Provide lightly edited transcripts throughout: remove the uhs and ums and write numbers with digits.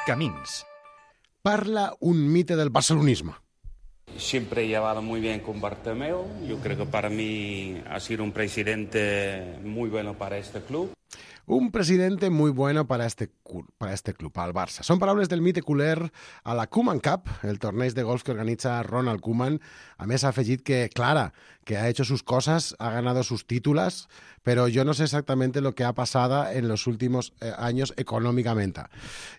Camins. Parla un mite del barcelonismo. Siempre he llevado muy bien con Bartomeu. Yo creo que para mí ha sido un presidente muy bueno para este club. Un presidente muy bueno para este club, al Barça. Són paraules del mite culer a la Koeman Cup, el torneig de golf que organitza Ronald Koeman. A més, ha afegit que, Clara, que ha hecho sus cosas, ha ganado sus títulos, pero yo no sé exactamente lo que ha pasado en los últimos años econòmicament.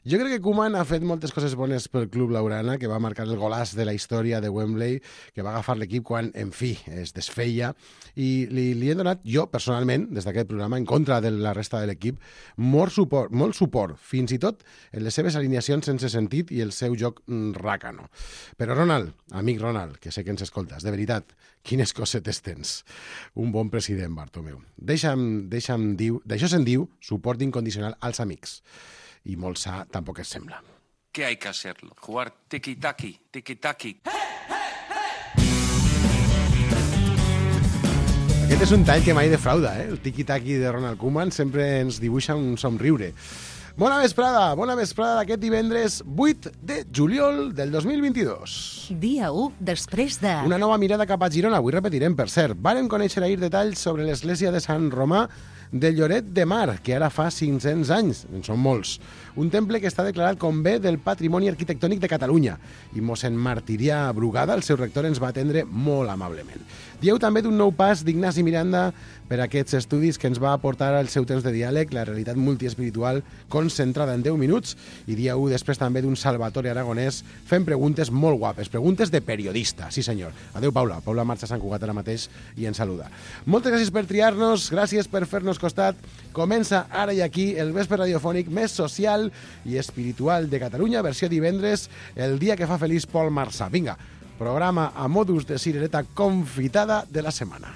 Jo crec que Koeman ha fet moltes coses bones pel club laurana, que va marcar el golàs de la història de Wembley, que va agafar l'equip quan, en fi, es desfeia, i li he donat, jo, personalment, des d'aquest programa, en contra de la resta de l'equip, molt suport, fins i tot en les seves alineacions sense sentit i el seu joc ràcano. Però Ronald, amic Ronald, que sé que ens escoltes, de veritat, quines cosetes tens. Un bon president, Bartomeu. Deixa'm dir, d'això se'n diu suport incondicional als amics. I molt sa tampoc es sembla. ¿Qué hay que hacerlo? Jugar tiki-taki, tiki-taki. Aquest és un tall que mai defrauda, el tiki-taki de Ronald Koeman sempre ens dibuixa un somriure. Bona vesprada d'aquest divendres 8 de juliol del 2022. Dia 1 després de... Una nova mirada cap a Girona, avui repetirem, per cert. Vàrem conèixer ahir detalls sobre l'església de Sant Romà de Lloret de Mar, que ara fa 500 anys, en són molts. Un temple que està declarat com bé del patrimoni arquitectònic de Catalunya. I mossèn Martirià Brugada, el seu rector, ens va atendre molt amablement. Dieu també d'un nou pas d'Ignasi Miranda per aquests estudis que ens va aportar al seu temps de diàleg, la realitat multiespiritual concentrada en 10 minuts, i dia 1 després també d'un Salvatore Aragonès fent preguntes molt guapes, preguntes de periodista, sí senyor. Adéu Paula, Paula marxa a Sant Cugat ara mateix i ens saluda. Moltes gràcies per triar-nos, gràcies per fer-nos costat. Comença ara i aquí el vespre radiofònic més social i espiritual de Catalunya, versió divendres, el dia que fa feliç Pol Marsà. Vinga, programa a modus de cirereta confitada de la setmana.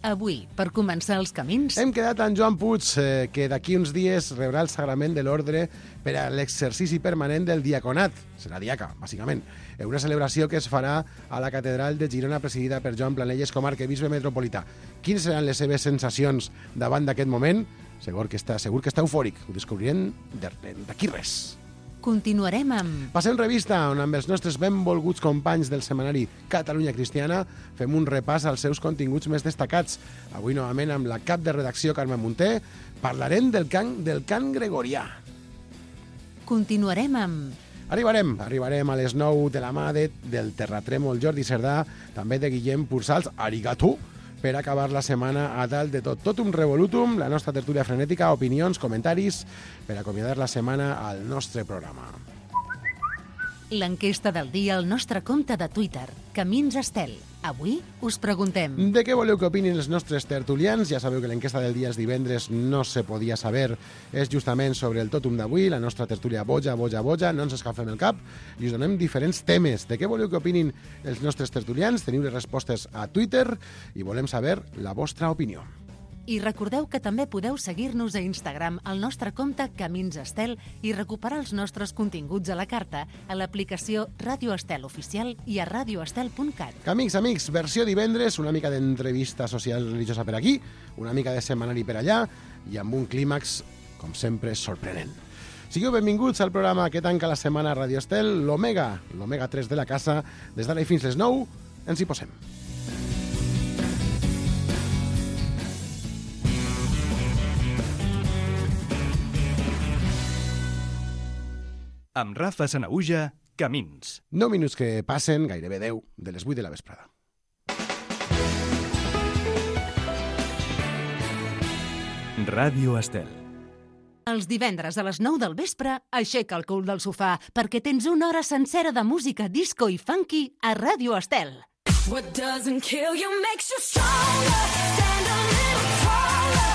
Avui, per començar els camins... Hem quedat amb Joan Puig, que d'aquí uns dies rebrà el sagrament de l'ordre per a l'exercici permanent del diaconat. Serà diaca, bàsicament. Una celebració que es farà a la catedral de Girona, presidida per Joan Planelles com a arquebisbe metropolità. Quines seran les seves sensacions davant d'aquest moment? Segur que està eufòric. Ho descobrirem d'aquí res. Continuarem amb... Passem revista, on amb els nostres benvolguts companys del setmanari Catalunya Cristiana fem un repàs als seus continguts més destacats. Avui, novament, amb la cap de redacció Carme Munté, parlarem del cant gregorià. Continuarem amb... Arribarem a les 9 de la mà del terratrèmol Jordi Cerdà, també de Guillem Pursals, arigato, per acabar la setmana a dalt de tot. Tot un revolutum, la nostra tertúlia frenètica, opinions, comentaris, per acomiadar la setmana al nostre programa. L'enquesta del dia al nostre compte de Twitter, Camins Estel. Avui us preguntem... De què voleu que opinin els nostres tertulians? Ja sabeu que l'enquesta del dia els divendres no se podia saber. És justament sobre el tòtum d'avui, la nostra tertúlia boja, no ens escalfem el cap, i us donem diferents temes. De què voleu que opinin els nostres tertulians? Teniu les respostes a Twitter i volem saber la vostra opinió. I recordeu que també podeu seguir-nos a Instagram al nostre compte Camins Estel i recuperar els nostres continguts a la carta a l'aplicació Ràdio Estel Oficial i a radioestel.cat. Amics, versió divendres, una mica d'entrevista social religiosa per aquí, una mica de setmanari per allà i amb un clímax, com sempre, sorprenent. Sigueu benvinguts al programa que tanca la setmana a Ràdio Estel, l'Omega 3 de la casa. Des d'ara i fins les 9, ens hi posem. Amb Rafa Sanaüja, Camins. 9 minuts que passen, gairebé 10, de les 8 de la vesprada. Ràdio Estel. Els divendres a les 9 del vespre, aixeca el cul del sofà, perquè tens una hora sencera de música disco i funky a Ràdio Estel. What doesn't kill you makes you stronger. Stand a little taller.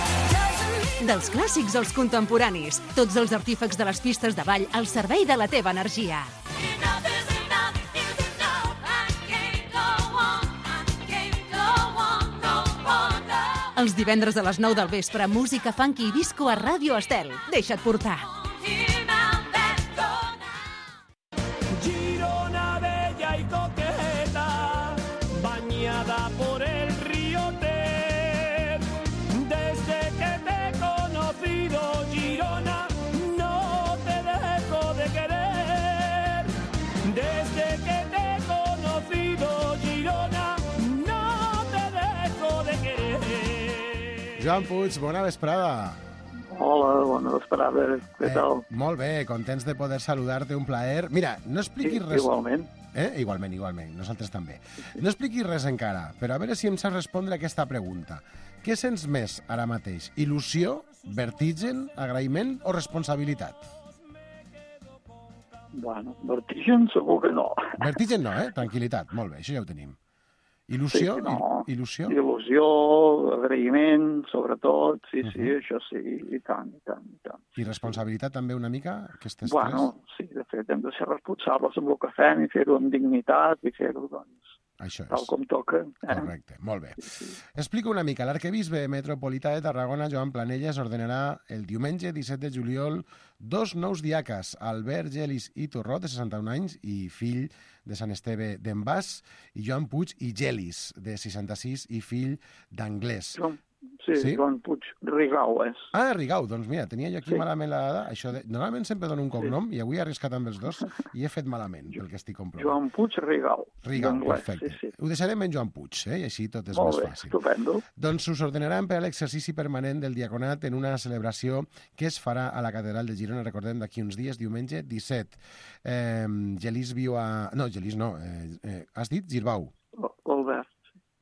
Dels clàssics als contemporanis, tots els artífecs de les pistes de ball al servei de la teva energia. Els divendres a les 9 del vespre, música funky i disco a Ràdio Estel. Deixa't portar. Girona bella y coqueta, bañada por el río Ter. Desde que te he conocido, Girona, no te dejo de querer. Joan Puig, bona vesprada. Hola, bona vesprada, què tal? Molt bé, contents de poder saludar-te, un plaer. Mira, no expliquis res... Igualment. Igualment, nosaltres també. No expliquis res encara, però a veure si em saps respondre aquesta pregunta. Què sents més ara mateix? Il·lusió, vertigen, agraïment o responsabilitat? Bueno, vertigen segur que no. Vertigen no, Tranquil·litat, molt bé, això ja ho tenim. Il·lusió? Sí, no. Il·lusió? Il·lusió, agraïment, sobretot, sí, això sí, i tant. I responsabilitat també una mica? Bueno, sí, de fet, hem de ser responsables amb el que fem i fer-ho amb dignitat i fer-ho, doncs, això és. tal com toca. Correcte, molt bé. Explica una mica. L'arquebisbe metropolità de Tarragona, Joan Planelles, ordenarà el diumenge 17 de juliol 2 nous diaques, Albert Gelis i Torró, de 61 anys, i fill de Sant Esteve d'Envàs, i Joan Puig i Gelis, de 66, i fill d'Anglès. Sí, Joan Puig Rigau és. Ah, Rigau, doncs mira, tenia jo aquí malament la dada. Normalment sempre dono un cognom i avui he arriscat amb els dos i he fet malament, pel que estic comprovant. Joan Puig Rigau. Rigau, perfecte. Sí. Ho deixarem en Joan Puig, i així tot és més fàcil. Estupendo. Doncs us ordenaran per a l'exercici permanent del diaconat en una celebració que es farà a la Catedral de Girona, recordem, d'aquí uns dies, diumenge 17. Gelis viu a... No, Gelis no. Has dit Girbau? Albert.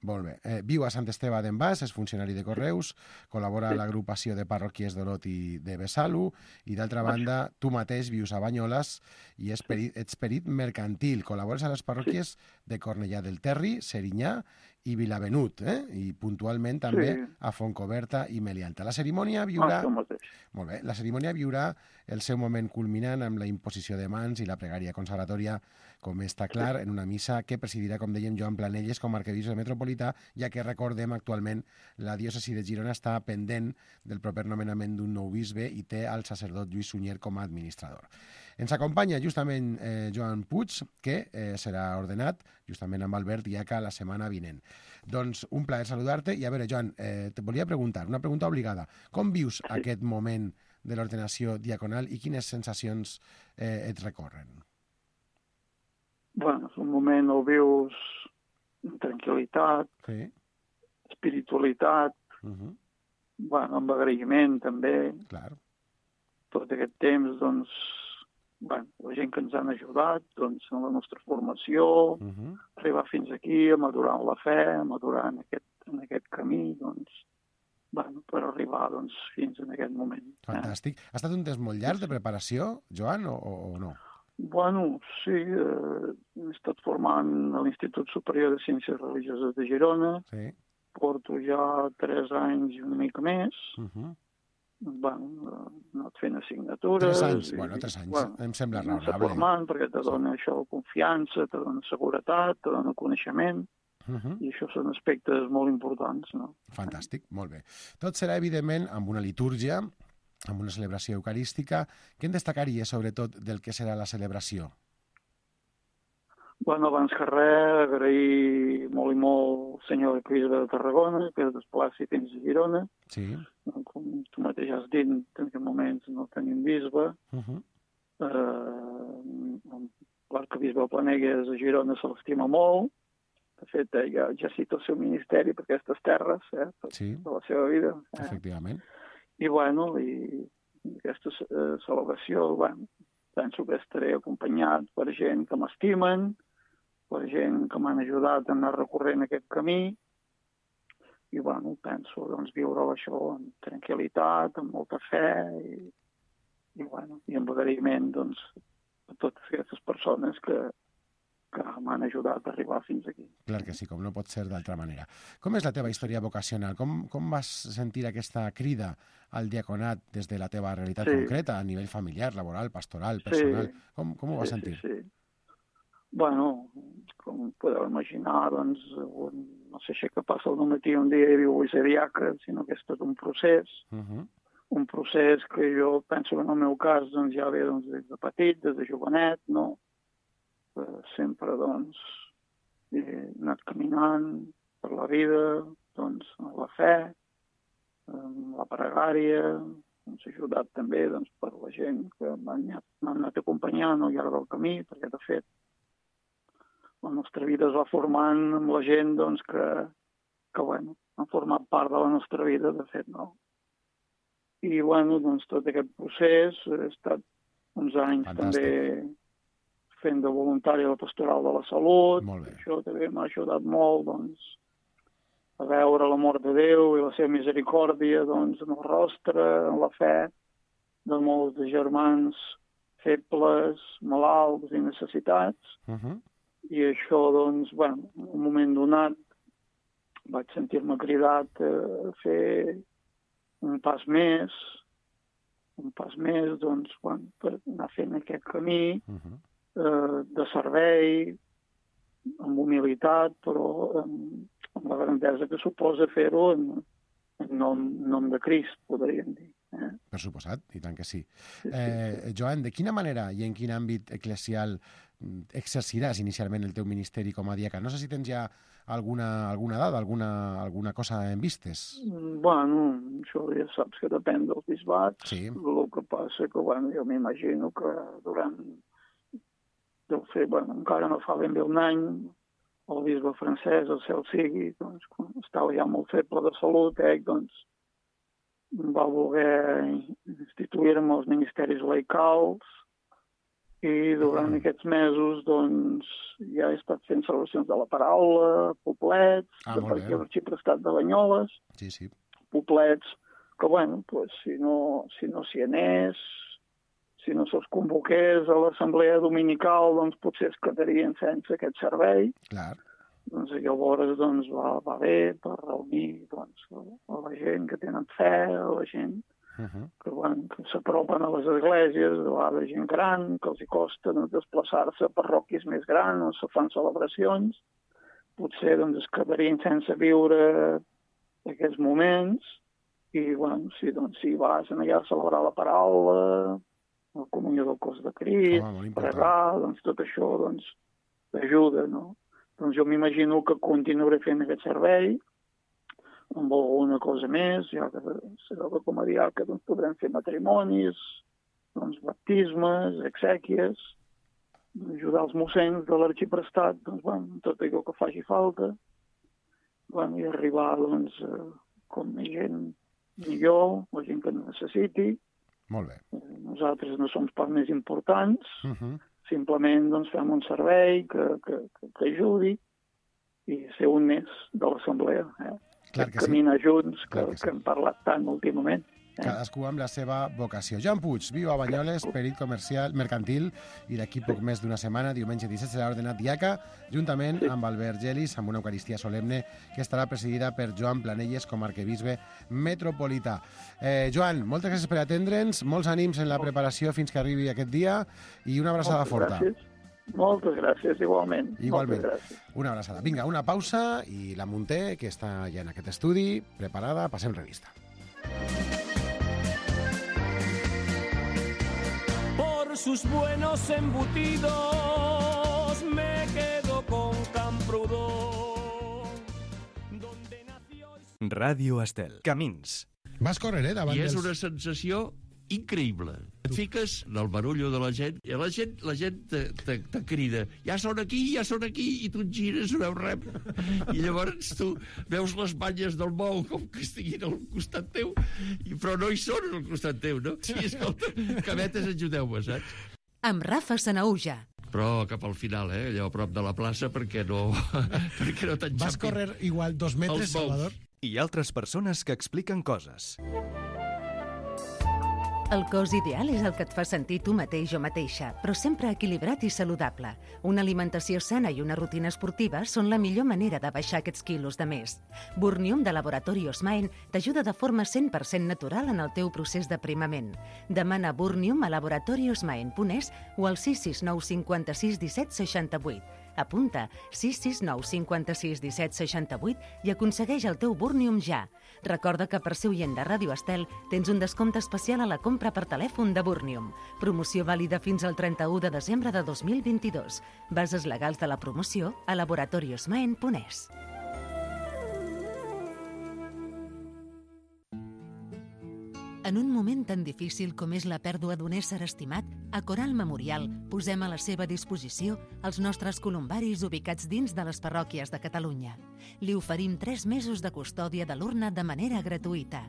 Molt bé. Viu a Sant Esteve d'Envàs, és funcionari de Correus, col·labora a l'agrupació de parròquies d'Olot i de Besalú, i d'altra banda, tu mateix vius a Banyoles i ets perit mercantil. Col·labores a les parròquies de Cornellà del Terri, Serinyà i Vilavenut, i puntualment també a Fontcoberta i Melianta. La cerimònia viurà... Molt bé. La cerimònia viurà el seu moment culminant amb la imposició de mans i la pregària consagratòria, com està clar, en una missa que presidirà, com dèiem, Joan Planelles com a arquebisbe metropolità, ja que recordem actualment la diòcesi de Girona està pendent del proper nomenament d'un nou bisbe i té el sacerdot Lluís Sunyer com a administrador. Ens acompanya justament Joan Puig, que serà ordenat justament amb Albert Diaca la setmana vinent. Doncs un plaer saludar-te i a veure, Joan, te volia preguntar, una pregunta obligada. Com vius aquest moment de l'ordenació diaconal i quines sensacions et recorren? Bueno, és un moment on vius amb tranquil·litat, espiritualitat, bueno, amb agraïment també. Clar. Tot aquest temps, doncs, bueno, la gent que ens han ajudat, doncs, en la nostra formació, arribar fins aquí, a madurar en la fe, a madurar en aquest camí, doncs, bueno, per arribar doncs, fins en aquest moment. Fantàstic. Ha estat un temps molt llarg de preparació, Joan, o no? Bueno, sí, he estat formant a l'Institut Superior de Ciències Religioses de Girona, porto ja 3 anys i una mica més, bueno, he anat fent assignatures... 3 anys, bueno, 3 anys, em sembla raonable. Estic formant perquè te dona això confiança, te dona seguretat, te dona coneixement, i això són aspectes molt importants, no? Fantàstic, molt bé. Tot serà, evidentment, amb una litúrgia, amb una celebració eucarística. Què en destacaria, sobretot, del que serà la celebració? Bueno, abans que res, agrair molt i molt al senyor arquebisbe de Tarragona, que es desplaci fins a Girona. Sí. Com tu mateix has dit, en aquest moments no tenim bisbe. L'arquebisbe Planelles a Girona se l'estima molt. De fet, ja cita el seu ministeri per aquestes terres, de la seva vida. Efectivament. I, bueno, i aquesta celebració, bueno, penso que estaré acompanyat per gent que m'estimen, per gent que m'han ajudat a anar recorrent aquest camí, i, bueno, penso, doncs, viure això amb tranquil·litat, amb molta fe, i bueno, i amb agraïment, doncs, a totes aquestes persones que m'han ajudat a arribar fins aquí. Clar que sí, com no pot ser d'altra manera. Com és la teva història vocacional? Com vas sentir aquesta crida al diaconat des de la teva realitat concreta, a nivell familiar, laboral, pastoral, personal? Com ho vas sentir? Sí. Bueno, com podeu imaginar, doncs, no sé si que passa el matí un dia i diu vull ser diaca, sinó que és tot un procés. Un procés que jo penso que en el meu cas doncs, ja ve des de petit, des de jovenet, no? Sempre, doncs, he anat caminant per la vida, doncs, en la fe, en la pregària, ens ha ajudat també, doncs, per la gent que m'han anat acompanyant al llarg del camí, perquè, de fet, la nostra vida es va formant amb la gent, doncs, que bueno, han format part de la nostra vida, de fet, no? I, bueno, doncs tot aquest procés he estat uns anys també fent de voluntari a la Pastoral de la Salut. Això també m'ha ajudat molt, doncs, a veure l'amor de Déu i la seva misericòrdia, doncs, en el rostre, en la fe de molts de germans febles, malalts i necessitats. I això, doncs, bueno, en un moment donat vaig sentir-me cridat a fer un pas més, doncs, bueno, per anar fent aquest camí de servei, amb humilitat, però amb la grandesa que suposa fer-ho en nom de Crist, podríem dir. Per suposat, i tant que sí. Joan, de quina manera i en quin àmbit eclesial exerciràs inicialment el teu ministeri com a diaca? No sé si tens ja alguna dada, alguna cosa en vistes. Bueno, això ja saps que depèn del bisbat. Sí. El que passa que, bueno, jo m'imagino que durant... Deu fer, bueno, encara no fa ben bé un any, el bisbe francès, el cel sigui, doncs, quan estava ja molt feble de salut, doncs, va voler instituir-me els ministeris laicals i durant aquests mesos doncs, ja he estat fent celebracions de la paraula, poblets, perquè l'arxiprestat de Banyoles, poblets que, bueno, pues, si no s'hi anés, si no se'ls convoqués a l'assemblea dominical, doncs potser es quedarien sense aquest servei. Clar. Doncs llavors doncs, va bé per reunir doncs, a la gent que tenen fe, a la gent que, bueno, que s'apropen a les esglésies, a vegades gent gran, que els hi costa doncs, desplaçar-se a parròquies més grans on se fan celebracions. Potser doncs, es quedarien sense viure aquests moments i bueno, si vas allà a celebrar la paraula, la comunió del cos de Crist, pregar, doncs tot això doncs, t'ajuda, no? Doncs jo m'imagino que continuaré fent aquest servei amb alguna cosa més, ja que serà que com a diaca doncs, podrem fer matrimonis, doncs, baptismes, exèquies, ajudar els mossens de l'arxiprestat, doncs, bueno, tot allò que faci falta, bueno, i arribar doncs, com a gent millor, la gent que necessiti. Molt bé. Nosaltres no som pas més importants, simplement doncs, fem un servei que ajudi i ser un més de l'assemblea. Caminar junts, que hem parlat tant últimament. Cadascú amb la seva vocació. Joan Puig, viu a Banyoles, perit comercial, mercantil, i d'aquí poc més d'una setmana, diumenge 17, serà ordenat diaca, juntament amb Albert Gelis, amb una eucaristia solemne que estarà presidida per Joan Planelles com a arquebisbe metropolità. Joan, moltes gràcies per atendre'ns, molts ànims en la preparació fins que arribi aquest dia i una abraçada forta. Moltes gràcies, igualment. Igualment. Una abraçada. Vinga, una pausa i la Munté, que està ja en aquest estudi, preparada, passem revista. Por sus buenos embutidos me quedo con Camprodon, donde nació... Ràdio Estel. Camins. Vas córrer, davant I és una sensació increïble. Et fiques en el barullo de la gent i la gent te crida ja són aquí, i tu et gires, no veus res. I llavors tu veus les banyes del bou com que estiguin al costat teu, però no hi són al costat teu, no? Sí, escolta, cabetes, ajudeu-me, saps? Amb Rafa Sanauja. Però cap al final, allò a prop de la plaça, perquè no t'enxampin. Vas córrer igual 2 metres, Salvador? I altres persones que expliquen coses. El cos ideal és el que et fa sentir tu mateix o mateixa, però sempre equilibrat i saludable. Una alimentació sana i una rutina esportiva són la millor manera de baixar aquests quilos de més. Burnium de Laboratori Osmaen t'ajuda de forma 100% natural en el teu procés d'aprimament. Demana Burnium a laboratoriosmaen.es o al 669 56 17 68. Apunta 669 56 17 68 i aconsegueix el teu Burnium ja. Recorda que per ser oient de Ràdio Estel tens un descompte especial a la compra per telèfon de Burnium. Promoció vàlida fins al 31 de desembre de 2022. Bases legals de la promoció a laboratoriosmaen.es. En un moment tan difícil com és la pèrdua d'un ésser estimat, a Coral Memorial posem a la seva disposició els nostres columbaris ubicats dins de les parròquies de Catalunya. Li oferim 3 mesos de custòdia de l'urna de manera gratuïta.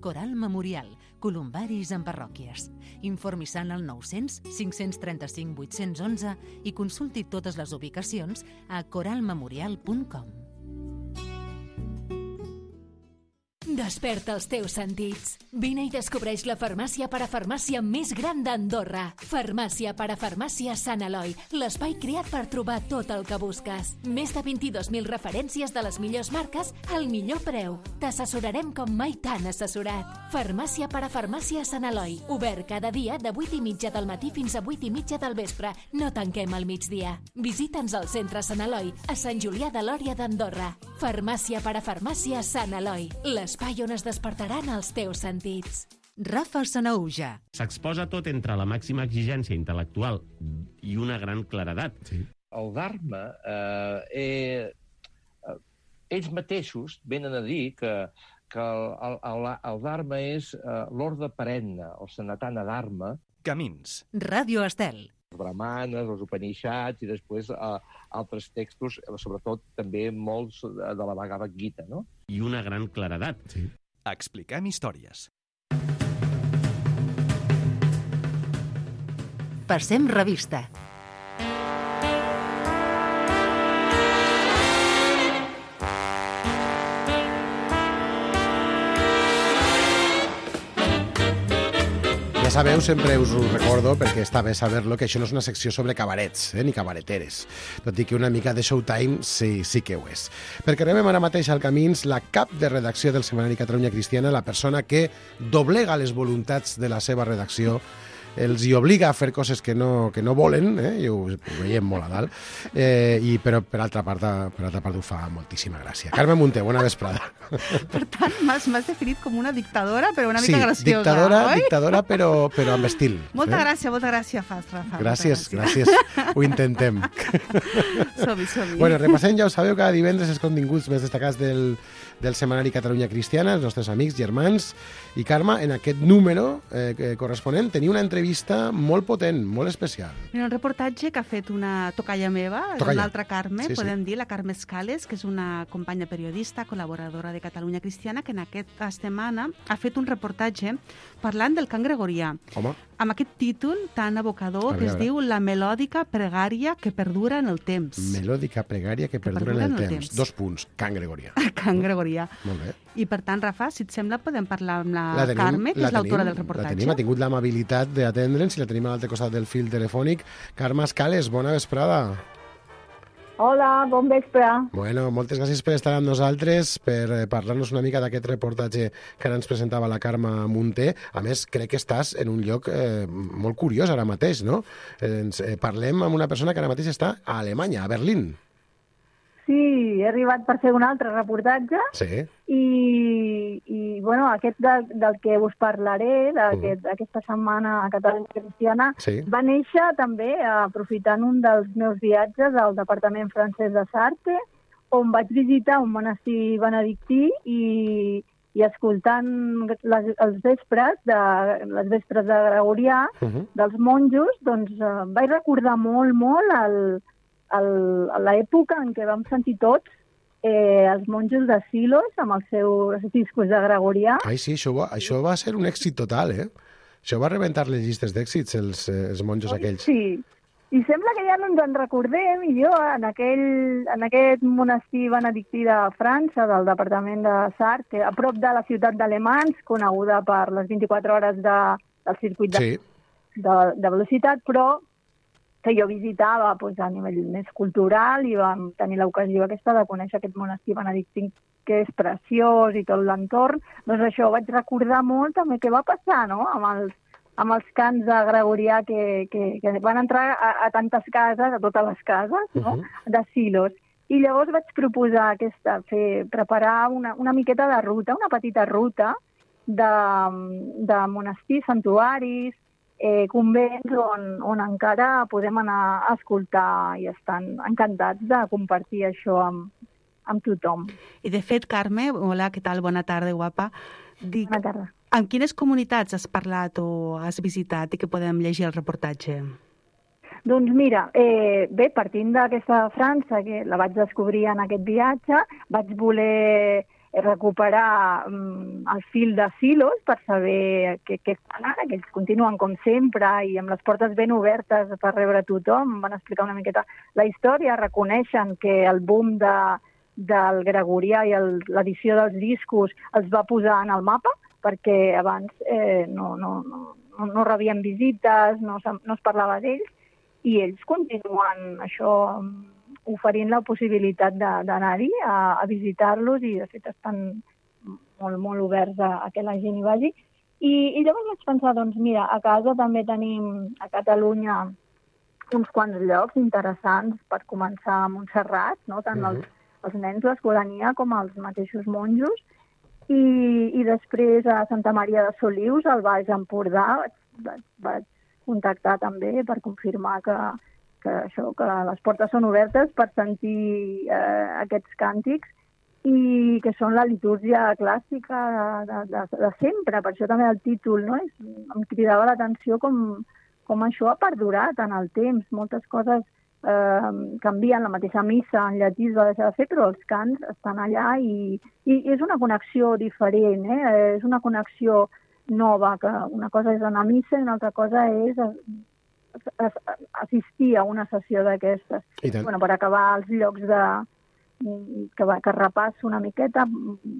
Coral Memorial, columbaris en parròquies. Informi-se'n al 900 535 811 i consulti totes les ubicacions a coralmemorial.com. Desperta els teus sentits. Vine i descobreix la farmàcia parafarmàcia més gran d'Andorra. Farmàcia parafarmàcia Sant Eloi, l'espai creat per trobar tot el que busques. Més de 22.000 referències de les millors marques al millor preu. T'assessorarem com mai t'han assessorat. Farmàcia parafarmàcia Sant Eloi, obert cada dia de 8:30 del matí fins a 8:30 del vespre. No tanquem al migdia. Visita'ns al centre Sant Eloi, a Sant Julià de Lòria d'Andorra. Farmàcia parafarmàcia Sant Eloi, l'espai on es despertaran els teus sentits. Rafa Sanauja. S'exposa tot entre la màxima exigència intel·lectual i una gran claredat. Sí. El Dharma, ells mateixos venen a dir que el Dharma és l'ordre perenne, el Sanatana Dharma. Camins. Ràdio Estel. Els Brahmanes, els Upanishads i després altres textos, sobretot també molts de la Bhagavad Gita, no? I una gran claredat. Sí. Expliquem històries. Passem revista. Ja sabeu, sempre us ho recordo, perquè està bé saber-lo, que això no és una secció sobre cabarets, ni cabareteres. Tot i que una mica de showtime sí que ho és. Perquè rebem ara mateix al Camins la cap de redacció del setmanari Catalunya Cristiana, la persona que doblega les voluntats de la seva redacció, els hi obliga a fer coses que no volen, i ho veiem molt a dalt, però per altra part ho fa moltíssima gràcia. Carme Munté, bona vesprada. Per tant, m'has definit com una dictadora, però una mica graciosa, sí, dictadora, però amb estil. Molta gràcia fas, Rafa. Gràcies, ho intentem. Som-hi. Bueno, repassem, ja ho sabeu, cada divendres els continguts més destacats del setmanari Catalunya Cristiana, els nostres amics, germans, i Carme, en aquest número corresponent, tenia una entrevista molt potent, molt especial. Mira, un reportatge que ha fet una tocalla meva, una altra Carme, podem dir, la Carme Escales, que és una companya periodista, col·laboradora de Catalunya Cristiana, que en aquesta setmana ha fet un reportatge parlant del cant gregorià. Home. Amb aquest títol tan abocador que es diu La melòdica pregària que perdura en el temps. Melòdica pregària que perdura en el temps. 2 punts, cant gregorià. Cant gregorià. Molt bé. I per tant, Rafa, si et sembla, podem parlar amb la Carme, que és l'autora del reportatge. Ha tingut l'amabilitat d'atendre'ns i la tenim a l'altre costat del fil telefònic. Carme Escales, bona vesprada. Hola, bon vespre. Bueno, moltes gràcies per estar amb nosaltres, per parlar-nos una mica d'aquest reportatge que ara ens presentava la Carme Munté. A més, crec que estàs en un lloc molt curiós ara mateix, no? Parlem amb una persona que ara mateix està a Alemanya, a Berlín. Sí, he arribat per fer un altre reportatge. Sí. I bueno, aquest del que us parlaré, d'aquesta setmana a Catalunya Cristiana, va néixer també aprofitant un dels meus viatges al departament francès de Sarthe, on vaig visitar un monestir benedictí i escoltant les vespres de Gregorià dels monjos, doncs vaig recordar molt l'època en què vam sentir tots els monjos de Silos amb els seus discos de Gregorià. Ai, sí, això va ser un èxit total, Això va rebentar les llistes d'èxits, els monjos aquells. Sí, i sembla que ja no ens en recordem, i jo en aquest monestir benedictí de França, del departament de Sarthe, a prop de la ciutat d'Alemans, coneguda per les 24 hores del circuit de velocitat, però que jo visitava a nivell més cultural i vam tenir l'ocasió aquesta de conèixer aquest monestir benedictí que és preciós i tot l'entorn. Doncs això, vaig recordar molt també què va passar, no?, amb els cants de Gregorià que van entrar a tantes cases, a totes les cases, no?, de Silos. I llavors vaig proposar preparar una miqueta de ruta, una petita ruta de monestirs, santuaris, convents on encara podem anar a escoltar i estan encantats de compartir això amb tothom. I de fet, Carme, hola, què tal? Bona tarda, guapa. Bona tarda. En quines comunitats has parlat o has visitat i que podem llegir el reportatge? Doncs mira, bé, partint d'aquesta França, que la vaig descobrir en aquest viatge, vaig voler recuperar el fil de Silos per saber què fan ara, que ells continuen com sempre i amb les portes ben obertes per rebre tothom. Van explicar una miqueta la història, reconeixen que el boom del gregorià i l'edició dels discos els va posar en el mapa, perquè abans no rebien visites, no es parlava d'ells, i ells continuen això oferint la possibilitat d'anar-hi a visitar-los i de fet estan molt, molt oberts a que la gent hi vagi. I llavors vaig pensar, doncs mira, a casa també tenim a Catalunya uns quants llocs interessants per començar a Montserrat, no? Tant els nens, l'escolania, com els mateixos monjos. I després a Santa Maria de Solius, al Baix Empordà, vaig contactar també per confirmar que les portes són obertes per sentir aquests càntics i que són la litúrgia clàssica de sempre. Per això també el títol, no? Em cridava l'atenció com això ha perdurat en el temps. Moltes coses canvien, la mateixa missa en llatí es va deixar de fer, però els cants estan allà i és una connexió diferent, és una connexió nova, que una cosa és anar a missa i una altra cosa és assistir a una sessió d'aquestes. Per acabar els llocs que repasso una miqueta,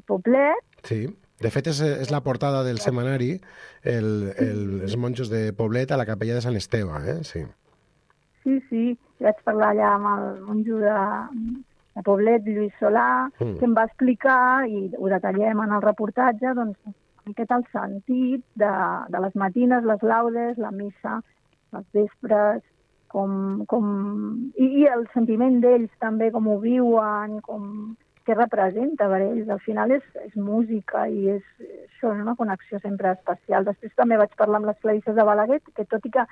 Poblet. Sí, de fet és la portada del setmanari, els monjos de Poblet a la capella de Sant Esteve, sí. Sí, vaig parlar allà amb el monjo de Poblet, Lluís Solà, que em va explicar, i ho detallem en el reportatge, doncs, una miqueta el sentit de les matines, les laudes, la missa, els vespres, i el sentiment d'ells també, com ho viuen, què representa per ells. Al final és música i això és una connexió sempre especial. Després també vaig parlar amb les clarisses de Balaguer, que tot i que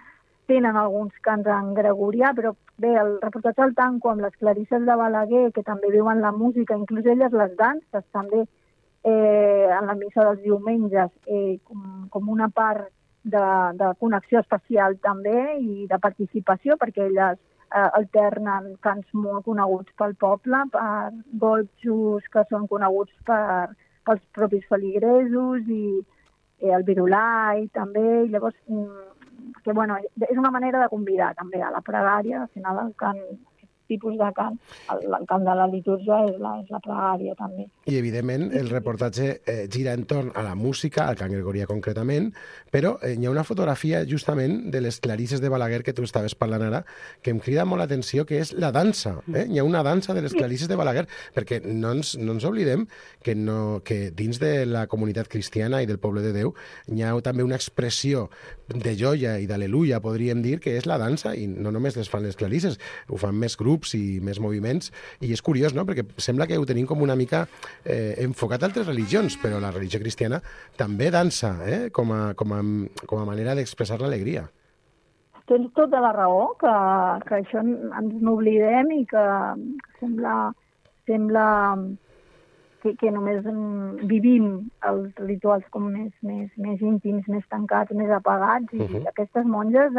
tenen alguns cants en gregorià, però bé, el reportatge el tanco amb les clarisses de Balaguer, que també viuen la música, inclús elles les danses també, en la missa dels diumenges, com una part de connexió especial també i de participació, perquè elles alternen cants molt coneguts pel poble, per gotjos que són coneguts pels propis feligresos i el virulai també, i llavors que és una manera de convidar també a la pregària. Al final el cant, aquest tipus de cant, el cant de la litúrgia és la pregària també. I evidentment el reportatge gira entorn a la música, al cant gregorià concretament, però hi ha una fotografia justament de les clarisses de Balaguer que tu estaves parlant ara, que em crida molt l'atenció, que és la dansa. Hi ha una dansa de les clarisses de Balaguer, perquè no ens oblidem que dins de la comunitat cristiana i del poble de Déu hi ha també una expressió de joia i d'al·leluia, podríem dir, que és la dansa, i no només les fan les clarisses, ho fan més grups i més moviments, i és curiós, no?, perquè sembla que ho tenim com una mica enfocat a altres religions, però la religió cristiana també dansa, com a manera d'expressar l'alegria. Tens tota la raó, que això ens n'oblidem i que sembla que només vivim els rituals com més íntims, més tancats, més apagats, i aquestes monges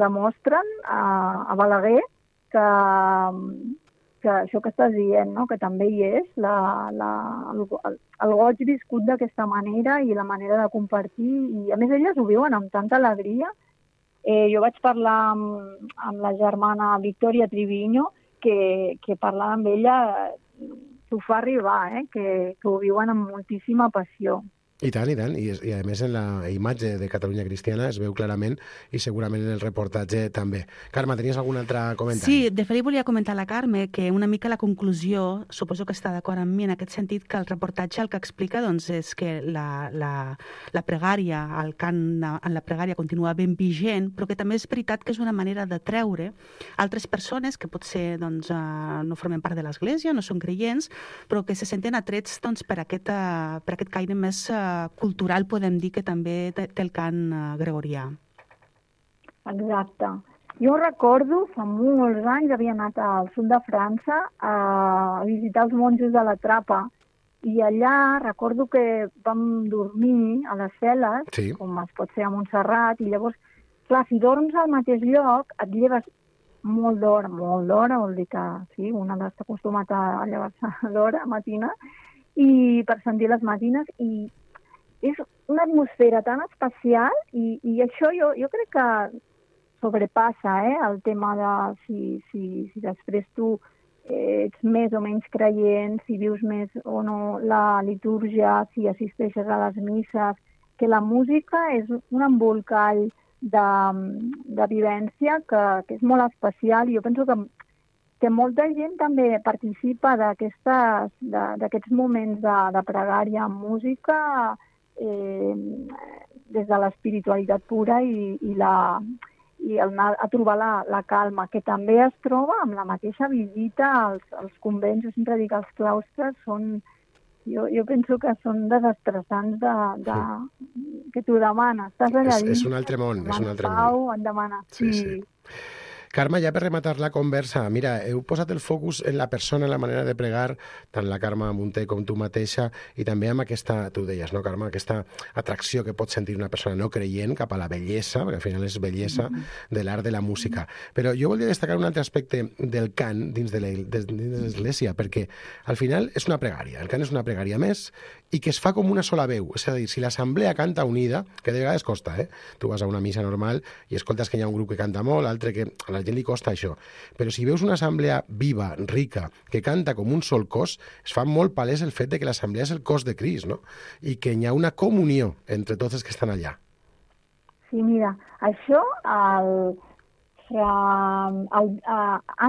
demostren a Balaguer que això que estàs dient, no?, que també hi és el goig viscut d'aquesta manera i la manera de compartir, i a més elles ho viuen amb tanta alegria. Jo vaig parlar amb la germana Victoria Triviño, que parlant amb ella t'ho fa arribar, que ho viuen amb moltíssima passió. I tant, i a més en la imatge de Catalunya Cristiana es veu clarament, i segurament en el reportatge també. Carme, tenies algun altre comentari? Sí, de fet volia comentar a la Carme que una mica la conclusió, suposo que està d'acord amb mi en aquest sentit, que el reportatge el que explica doncs, és que la pregària, el cant en la pregària continua ben vigent, però que també és veritat que és una manera de treure altres persones que potser doncs, no formen part de l'Església, no són creients, però que se senten atrets doncs, per aquest caire més cultural, podem dir, que també té el cant gregorià. Exacte. Jo recordo, fa molts anys, havia anat al sud de França a visitar els monjos de la Trapa I allà recordo que vam dormir a les cel·les, Sí. com es pot fer a Montserrat, i llavors, clar, si dorms al mateix lloc, et lleves molt d'hora, vol dir que sí, un ha d'estar acostumat a llevar-se d'hora matina, i per sentir les matines, i és una atmosfera tan especial, i això jo crec que sobrepassa el tema de si després tu ets més o menys creient, si vius més o no la litúrgia, si assisteixes a les misses, que la música és un embolcall de vivència que és molt especial, i jo penso que molta gent també participa d'aquests moments de pregària amb música des de l'espiritualitat pura i anar a trobar la calma, que també es troba amb la mateixa visita als convents. Jo sempre dic que els claustres són... Jo penso que són desestressants que t'ho demana. Estàs allà dins. És un altre món, és un altre món. Pau, et demana. Sí. Carme, ja per rematar la conversa, mira, heu posat el focus en la persona, en la manera de pregar, tant la Carme Munté com tu mateixa, i també amb aquesta, tu deies, no, Carme, aquesta atracció que pot sentir una persona no creient cap a la bellesa, perquè al final és bellesa de l'art de la música. Però jo volia destacar un altre aspecte del cant dins de l'Església, perquè al final és una pregària, el cant és una pregària més, i que es fa com una sola veu. És a dir, si l'assemblea canta unida, que de vegades costa, tu vas a una missa normal i escoltes que hi ha un grup que canta molt, l'altre que a la gent li costa això. Però si veus una assemblea viva, rica, que canta com un sol cos, es fa molt palès el fet de que l'assemblea és el cos de Crist, no? I que hi ha una comunió entre tots els que estan allà. Sí, mira, això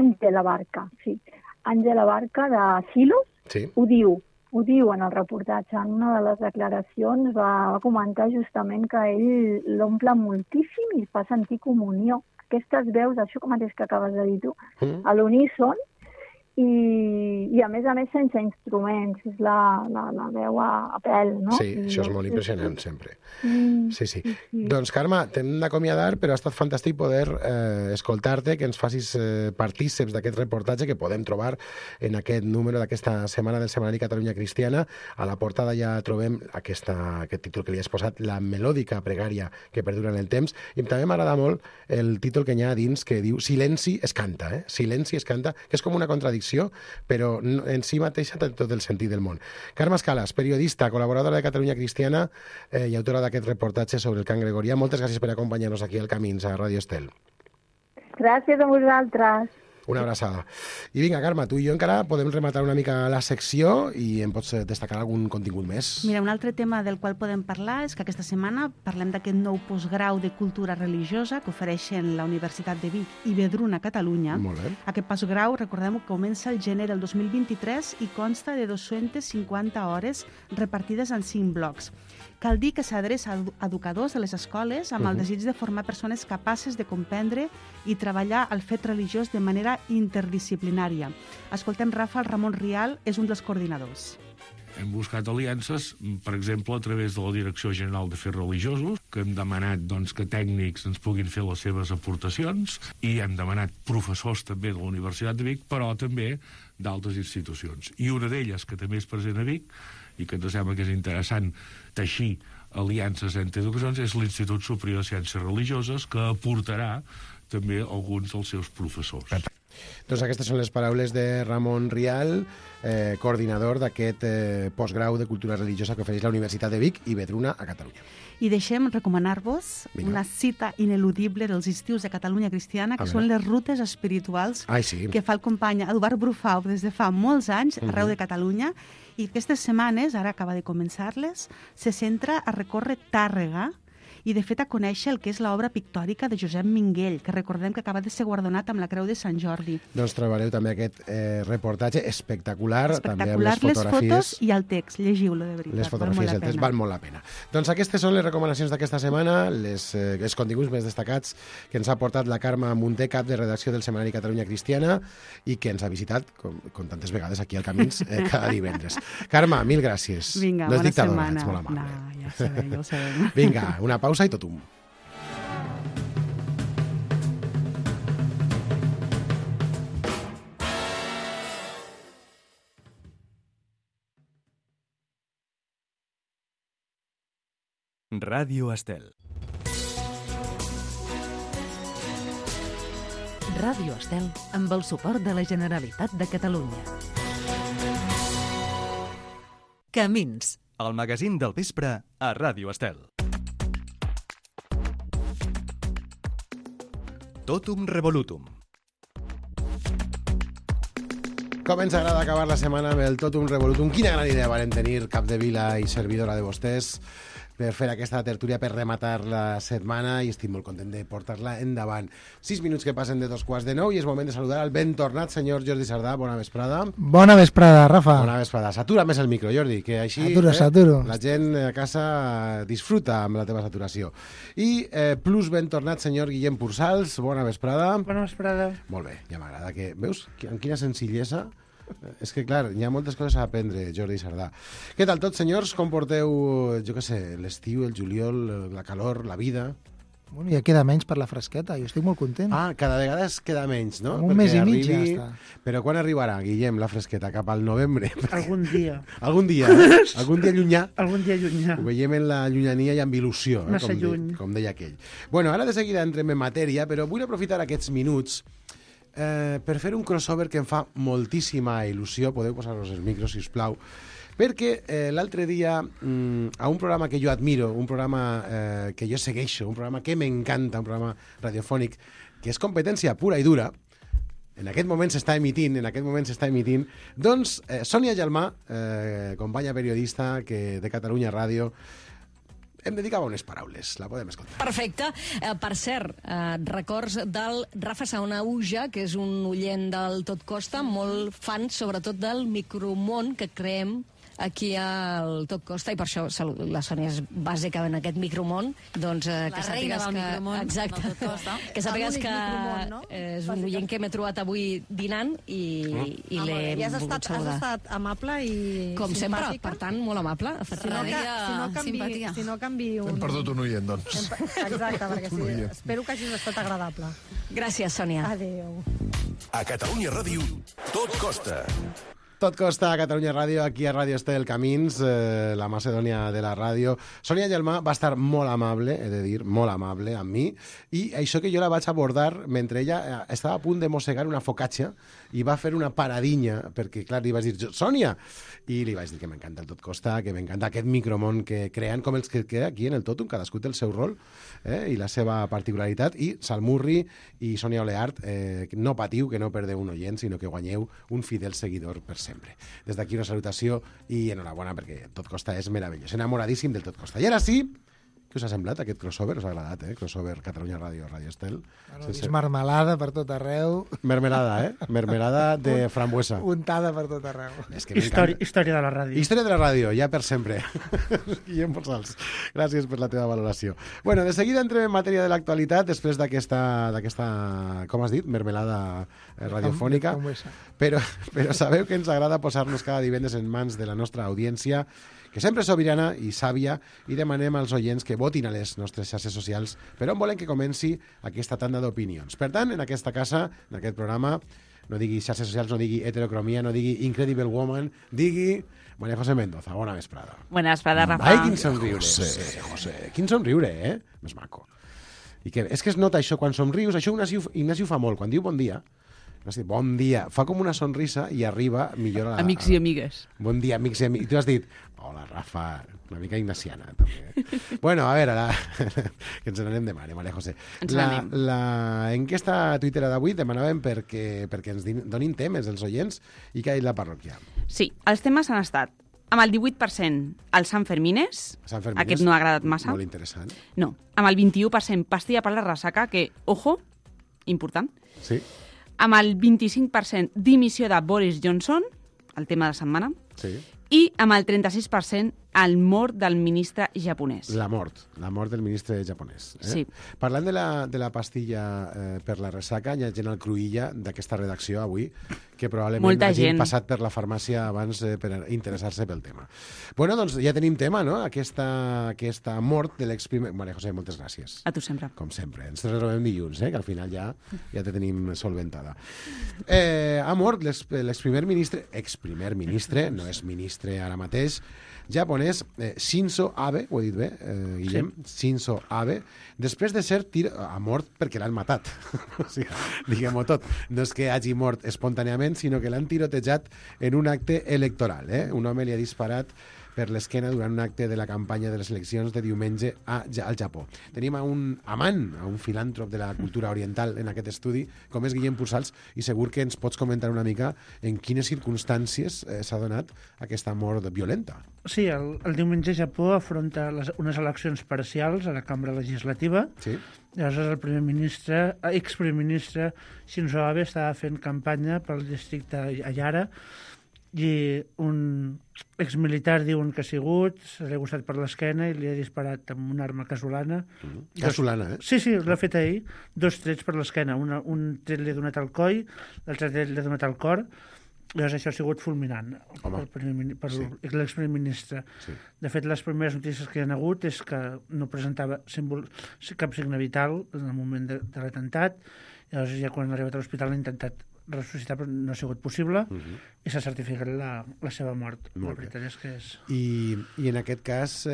Àngela Barca, sí. Àngela Barca de Silos, sí. Ho diu en el reportatge. En una de les declaracions va comentar justament que ell l'omple moltíssim i fa sentir comunió. Aquestes veus, això mateix que acabes de dir tu, a l'uníson, i a més sense instruments, és la veu a pèl, no? Sí, això és molt impressionant, sempre. Sí. Doncs, Carme, t'hem d'acomiadar, però ha estat fantàstic poder escoltar-te, que ens facis partíceps d'aquest reportatge que podem trobar en aquest número d'aquesta setmana del Setmanari Catalunya Cristiana. A la portada ja trobem aquest títol que li has posat, La melòdica pregària que perdura en el temps, i també m'agrada molt el títol que hi ha dins que diu Silenci es canta, Silenci es canta, que és com una contradicció, però en si mateixa té tot el sentit del món. Carme Escalas, periodista, col·laboradora de Catalunya Cristiana i autora d'aquest reportatge sobre el cant gregorià. Moltes gràcies per acompanyar-nos aquí al Camins, a Ràdio Estel. Gràcies a vosaltres. Una abraçada. I vinga, Carme, tu i jo encara podem rematar una mica la secció i em pots destacar algun contingut més. Mira, un altre tema del qual podem parlar és que aquesta setmana parlem d'aquest nou postgrau de cultura religiosa que ofereixen la Universitat de Vic i Vedruna, Catalunya. Molt bé. Aquest postgrau, recordem que comença el gener del 2023 i consta de 250 hores repartides en 5 blocs. Cal dir que s'adreça a educadors de les escoles amb el desig de formar persones capaces de comprendre i treballar el fet religiós de manera interdisciplinària. Escoltem Rafa, el Ramon Rial és un dels coordinadors. Hem buscat aliances, per exemple, a través de la Direcció General d'Afers Religiosos, que hem demanat que tècnics ens puguin fer les seves aportacions, i hem demanat professors també de la Universitat de Vic, però també d'altres institucions. I una d'elles, que també és present a Vic, i que ens sembla que és interessant teixir aliances entre educacions, és l'Institut Superior de Ciències Religioses, que aportarà també alguns dels seus professors. Doncs aquestes són les paraules de Ramon Rial, coordinador d'aquest postgrau de cultura religiosa que ofereix la Universitat de Vic i Vedruna a Catalunya. I deixem recomanar-vos una cita ineludible dels estius de Catalunya Cristiana, que són les rutes espirituals que fa el company Eduard Brufau des de fa molts anys arreu de Catalunya, i aquestes setmanes, ara acaba de començar-les, se centra a recórrer Tàrrega i, de fet, a conèixer el que és l'obra pictòrica de Josep Minguell, que recordem que acaba de ser guardonat amb la Creu de Sant Jordi. Doncs trobareu també aquest reportatge espectacular, també amb les fotografies i el text, llegiu-lo de veritat. Les fotografies i el text val molt la pena. Doncs aquestes són les recomanacions d'aquesta setmana, els continguts més destacats que ens ha portat la Carme Munté, cap de redacció del Setmanari Catalunya Cristiana, i que ens ha visitat, com tantes vegades, aquí al Camins, cada divendres. Carme, mil gràcies. Vinga, bona setmana. Ets molt amable. No, ja ho sabem. Vinga, una pausa i totum. Ràdio Estel. Ràdio Estel amb el suport de la Generalitat de Catalunya. Camins. El magazín del vespre a Ràdio Estel. Totum Revolutum. Com ens agrada acabar la setmana amb el Totum Revolutum. Quina gran idea varen tenir Capdevila i servidora de vostès per fer aquesta tertúlia, per rematar la setmana, i estic molt content de portar-la endavant. 6 minuts que passen de 2:45 i és moment de saludar al ben tornat senyor Jordi Sardà. Bona vesprada. Bona vesprada, Rafa. Bona vesprada. Satura més el micro, Jordi, que així Saturo. La gent a casa disfruta amb la teva saturació. I plus ben tornat senyor Guillem Pursals. Bona vesprada. Bona vesprada. Molt bé, ja m'agrada. Veus amb quina senzillesa? És que, clar, hi ha moltes coses a aprendre, Jordi Sardà. Què tal tots, senyors? Com porteu, jo què sé, l'estiu, el juliol, la calor, la vida? Bueno, ja queda menys per la fresqueta, jo estic molt content. Ah, cada vegada es queda menys, no? Un mes i mig ja està. Però quan arribarà, Guillem, la fresqueta? Cap al novembre? Algun dia. Algun dia, eh? Algun dia llunyà? Algun dia llunyà. Ho veiem en la llunyania i amb il·lusió, Massa lluny. Com deia aquell. Bueno, ara de seguida entrem en matèria, però vull aprofitar aquests minuts per fer un crossover que em fa moltíssima il·lusió. Podeu posar-vos els micros, si us plau, perquè l'altre dia a un programa que jo admiro, un programa que jo segueixo, un programa que m'encanta, un programa radiofònic que és competència pura i dura, en aquest moment s'està emitint, doncs Sònia Gelmà, companya periodista de Catalunya Ràdio, em dedicava unes paraules, la podem escoltar. Perfecte. Per cert, records del Rafa Saunauja, que és un oient del Tot Costa, molt fan sobretot del micromón que creem aquí al Tot Costa, i per això la Sònia és bàsica en aquest micromón. Doncs, la reina del micromón. Exacte. Del Tot Costa. Que sàpigues que no? és un oient que m'he trobat avui dinant i l'he volgut saludar. Has estat amable i com sempre, simpàtica. per tant, molt amable. Si no canvi un... Hem perdut un oient, doncs. Exacte, perquè sí, espero que hagis estat agradable. Gràcies, Sònia. Adéu. A Catalunya Ràdio, Tot Costa. Tot Costa a Catalunya Ràdio, aquí a Ràdio Estel Camins, la Macedònia de la ràdio. Sònia Gelmà va estar molt amable, he de dir, molt amable amb mi, i això que jo la vaig abordar mentre ella estava a punt de mossegar una focaccia i va fer una paradinya, perquè, clar, li vaig dir, Sònia! I li vaig dir que m'encanta el Tot Costa, que m'encanta aquest micromón que creen, com els que queda aquí en el Totum, cadascú té el seu rol i la seva particularitat, i Salmurri i Sònia Oleart, no patiu que no perdeu un oient, sinó que guanyeu un fidel seguidor per sempre. Des d'aquí una salutació i enhorabona, perquè Tot Costa és meravellós, enamoradíssim del Tot Costa. I ara sí, què us ha semblat aquest crossover? Us ha agradat, Crossover Catalunya Ràdio, Ràdio Estel. Bueno, és marmelada per tot arreu. Mermelada, Mermelada de frambuesa. Untada per tot arreu. És que Història de la ràdio. Història de la ràdio, ja per sempre. Guillem Pursals, gràcies per la teva valoració. Bueno, de seguida entrem en matèria de l'actualitat, després d'aquesta, com has dit, mermelada radiofònica. Però sabeu que ens agrada posar-nos cada divendres en mans de la nostra audiència, que sempre és sobirana i sàvia, i demanem als oients que votin a les nostres xarxes socials per on volen que comenci aquesta tanda d'opinions. Per tant, en aquesta casa, en aquest programa, no digui xarxes socials, no digui heterocromia, no digui Incredible Woman, digui María José Mendoza. Bona vesprada. Bona vesprada, Rafa. Ai, quin somriure. José. Quin somriure, Més maco. I que, és que es nota això quan somrius, això Ignasi ho fa molt, quan diu bon dia, bon dia, fa com una sonrisa i arriba millor a la... Amics i amigues. Bon dia, amics i amigues. Tu has dit, hola, Rafa, una mica ignaciana, també. Bueno, a veure, que ens n'anem de mare, María José. L'enquesta a Twitter d'avui demanàvem perquè ens donin temes els oients i que ha dit la parròquia. Sí, els temes han estat amb el 18% els Sanfermines, aquest no ha agradat massa. Molt interessant. No, amb el 21% pastilla per la ressaca, que, ojo, important. Sí. Amb el 25% dimissió de Boris Johnson, el tema de la setmana, sí. I amb el 36% el mort del ministre japonès. La mort del ministre japonès. Sí. Parlant de la pastilla per la ressaca, hi ha gent al Cruïlla d'aquesta redacció avui que probablement hagin passat per la farmàcia abans per interessar-se pel tema. Bueno, doncs ja tenim tema, no? Aquesta mort de l'exprimer... María José, moltes gràcies. A tu sempre. Com sempre. Ens retrobem dilluns, que al final ja te tenim solventada. Ha mort l'exprimer ministre, no és ministre ara mateix, japonès, japonès Shinzo Abe, ho he dit bé, Guillem? Sí. Shinzo Abe, després de ser ha mort perquè l'han matat. O sigui, diguem-ho tot. No és que hagi mort espontàniament, sinó que l'han tirotejat en un acte electoral. Un home li ha disparat per l'esquena durant un acte de la campanya de les eleccions de diumenge al Japó. Tenim a un amant, a un filàntrop de la cultura oriental en aquest estudi, com és Guillem Pursals, i segur que ens pots comentar una mica en quines circumstàncies s'ha donat aquesta mort violenta. Sí, el diumenge Japó afronta unes eleccions parcials a la cambra legislativa. Sí. Llavors el exprimer ministre Shinzo Abe estava fent campanya pel districte Ayara, i un exmilitar diuen que ha sigut, se l'ha gustat per l'esquena i li ha disparat amb una arma casolana. Casolana, Sí, l'ha fet ahir. 2 trets per l'esquena. Un tret li ha donat al coll, l'altre tret li ha donat al cor. Llavors això ha sigut fulminant per l'exprimer ministre. Sí. De fet, les primeres notícies que hi ha hagut és que no presentava cap signe vital en el moment de l'atemptat. Llavors ja quan ha arribat a l'hospital ha intentat ressuscitar, però no ha sigut possible, i s'ha certificat la seva mort. La veritat és que és... I en aquest cas,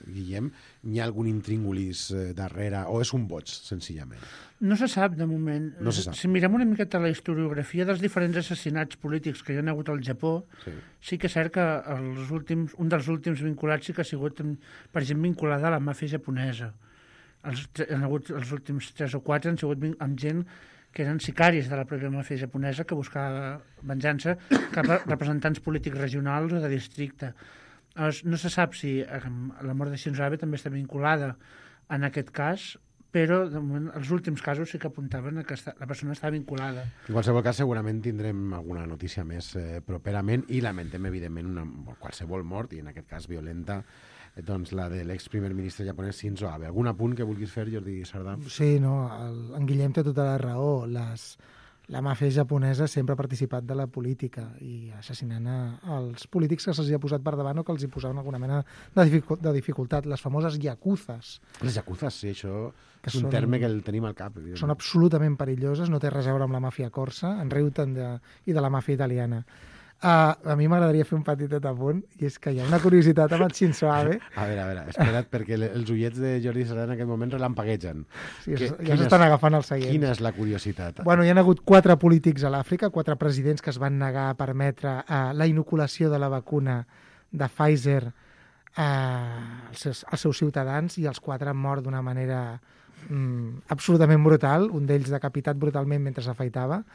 Guillem, hi ha algun intríngulis darrere, o és un boig, senzillament? No se sap, de moment. No se sap. Si mirem una miqueta la historiografia dels diferents assassinats polítics que hi ha hagut al Japó, sí que és cert que un dels últims vinculats sí que ha sigut, per exemple, vinculada a la màfia japonesa. Els últims 3 o 4 han sigut amb gent que eren sicaris de la pròpia màfia japonesa que buscava venjança cap a representants polítics regionals o de districte. No se sap si la mort de Shinzo Abe també està vinculada en aquest cas, però de moment, els últims casos sí que apuntaven a que la persona estava vinculada. En qualsevol cas, segurament tindrem alguna notícia més properament i lamentem, evidentment, qualsevol mort, i en aquest cas violenta, doncs la de l'exprimer ministre japonès Shinzo Abe. Algun apunt que vulguis fer, Jordi Sardà? Sí, no, en Guillem té tota la raó. La màfia japonesa sempre ha participat de la política i assassinant els polítics que se'ls ha posat per davant o que els hi posaven alguna mena de dificultat. Les famoses yakuzas. Les yakuzas, sí, això és un terme que el tenim al cap. Són absolutament perilloses, no té res a veure amb la màfia corsa, en riu tant i de la màfia italiana. A mi m'agradaria fer un petitet apunt, i és que hi ha una curiositat amb el Shinzo Abe. A veure, espera't, perquè els ullets de Jordi Sardà en aquest moment relampaguegen. Sí, ja s'estan agafant el seient. Quina és la curiositat? Bueno, hi ha hagut 4 polítics a l'Àfrica, 4 presidents que es van negar a permetre la inoculació de la vacuna de Pfizer als seus ciutadans, i els 4 han mort d'una manera absolutament brutal, un d'ells decapitat brutalment mentre s'afaitava.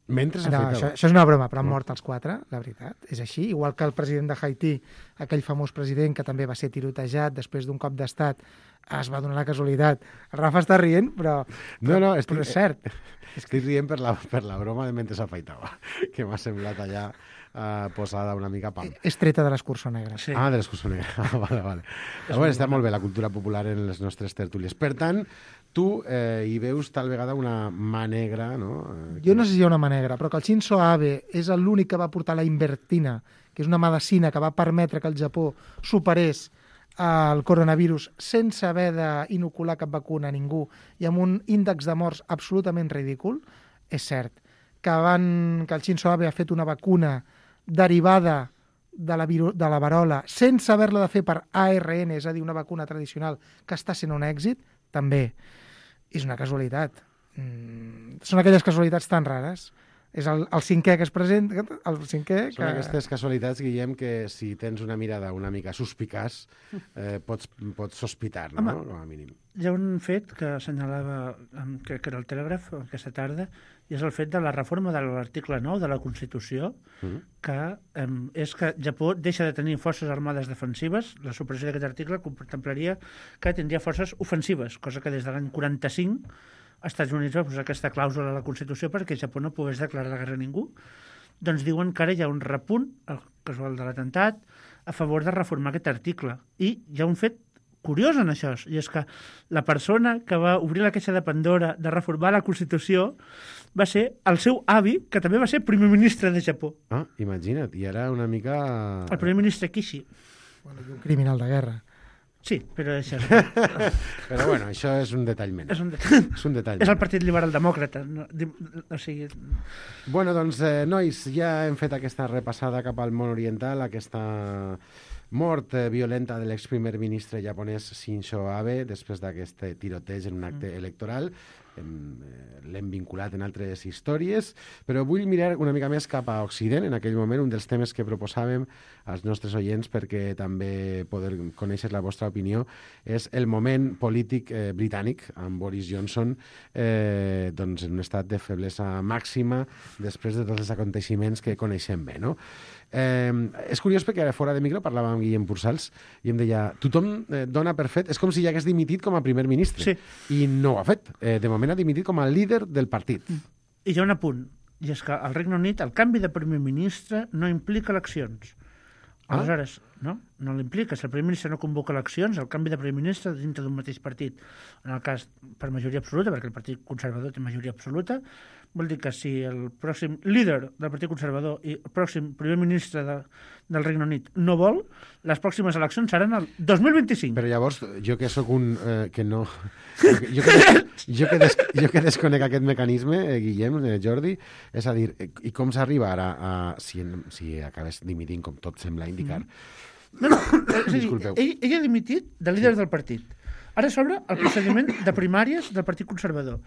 Això és una broma, però han mort els 4, la veritat, és així. Igual que el president de Haití, aquell famós president que també va ser tirotejat després d'un cop d'estat, es va donar la casualitat. El Rafa està rient, però és cert. Estic rient per la broma de mentre s'afaitava, que m'ha semblat allà posada una mica pam. És treta de l'Escurçó Negre. Sí. De l'Escurçó Negre. Vale. Està molt bé la cultura popular en les nostres tertúlies. Per tant, tu hi veus tal vegada una mà negra, no? Jo no sé si hi ha una mà negra, però que el Shinzo Abe és l'únic que va portar la Invertina, que és una medicina que va permetre que el Japó superés el coronavirus sense haver d'inocular cap vacuna a ningú i amb un índex de morts absolutament ridícul. És cert que el Shinzo Abe ha fet una vacuna derivada de la verola sense haver-la de fer per ARN, és a dir, una vacuna tradicional que està sent un èxit, també. És una casualitat. Són aquelles casualitats tan rares. És el 5è que es presenta, el 5è que... Són aquestes casualitats, Guillem, que si tens una mirada una mica suspicaç, pots sospitar, no? Home, com a mínim. Hi ha un fet que assenyalava, que era el Telègraf aquesta tarda, i és el fet de la reforma de l'article 9 de la Constitució, que és que Japó deixa de tenir forces armades defensives. La supressió d'aquest article contemplaria que tindria forces ofensives, cosa que des de l'any 45 als Estats Units va posar aquesta clàusula a la Constitució perquè Japó no pogués declarar la guerra a ningú. Doncs diuen que ara hi ha un repunt, el casual de l'atemptat, a favor de reformar aquest article. I hi ha un fet curiós en això, i és que la persona que va obrir la caixa de Pandora de reformar la Constitució va ser el seu avi, que també va ser primer ministre de Japó. Imagina't, i era una mica... El primer ministre Kishi. Bueno, i un criminal de guerra. Sí, però això Però bueno, això és un detall menys. És un detall. És el Partit Liberal Demòcrata. O sigui... Bueno, doncs, nois, ja hem fet aquesta repassada cap al món oriental, aquesta mort violenta de l'exprimer ministre japonès Shinzo Abe després d'aquest tiroteig en un acte electoral. L'hem vinculat en altres històries, però vull mirar una mica més cap a Occident. En aquell moment, un dels temes que proposàvem als nostres oients perquè també poder conèixer la vostra opinió és el moment polític britànic amb Boris Johnson doncs en un estat de feblesa màxima després de tots els aconteixements que coneixem bé, no? És curiós perquè fora de micro parlàvem amb Guillem Pursals i em deia, tothom dona per fet, és com si ja hagués dimitit com a primer ministre, i no ho ha fet. De moment ha dimitit com a líder del partit. I hi ha un apunt, i és que al Regne Unit el canvi de primer ministre no implica eleccions. Aleshores, no l'implica. Si el primer ministre no convoca eleccions, el canvi de primer ministre dintre d'un mateix partit, en el cas per majoria absoluta, perquè el Partit Conservador té majoria absoluta, vol dir que si el pròxim líder del Partit Conservador i el pròxim primer ministre del Regne Unit no vol, les pròximes eleccions seran el 2025. Però llavors, jo que sóc un... que no... Jo que desconec aquest mecanisme, Guillem, Jordi, és a dir, i com s'arriba ara si acabes dimitint, com tot sembla indicar? No, disculpeu. Ell ha dimitit de líder del partit. Ara s'obre el procediment de primàries del Partit Conservador.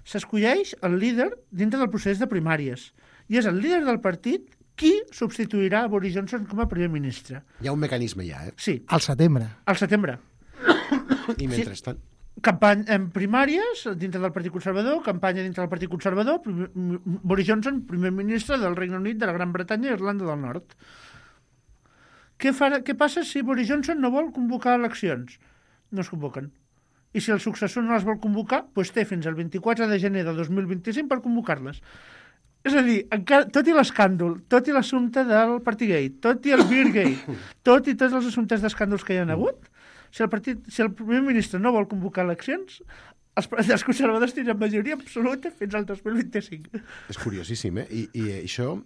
S'escolleix el líder dintre del procés de primàries. I és el líder del partit qui substituirà a Boris Johnson com a primer ministre. Hi ha un mecanisme ja, Sí. Al setembre. Al setembre. I mentrestant? Campanya en primàries dintre del Partit Conservador, campanya dintre del Partit Conservador, Boris Johnson, primer ministre del Regne Unit, de la Gran Bretanya i Irlanda del Nord. Què passa si Boris Johnson no vol convocar eleccions? No es convoquen. I si el successor no les vol convocar, doncs té fins al 24 de gener de 2025 per convocar-les. És a dir, tot i l'escàndol, tot i l'assumpte del Partygate, tot i el Beergate, tot i tots els assumptes d'escàndols que hi ha hagut, si el primer ministre no vol convocar eleccions, els conservadors tindran majoria absoluta fins al 2025. És curiosíssim, I això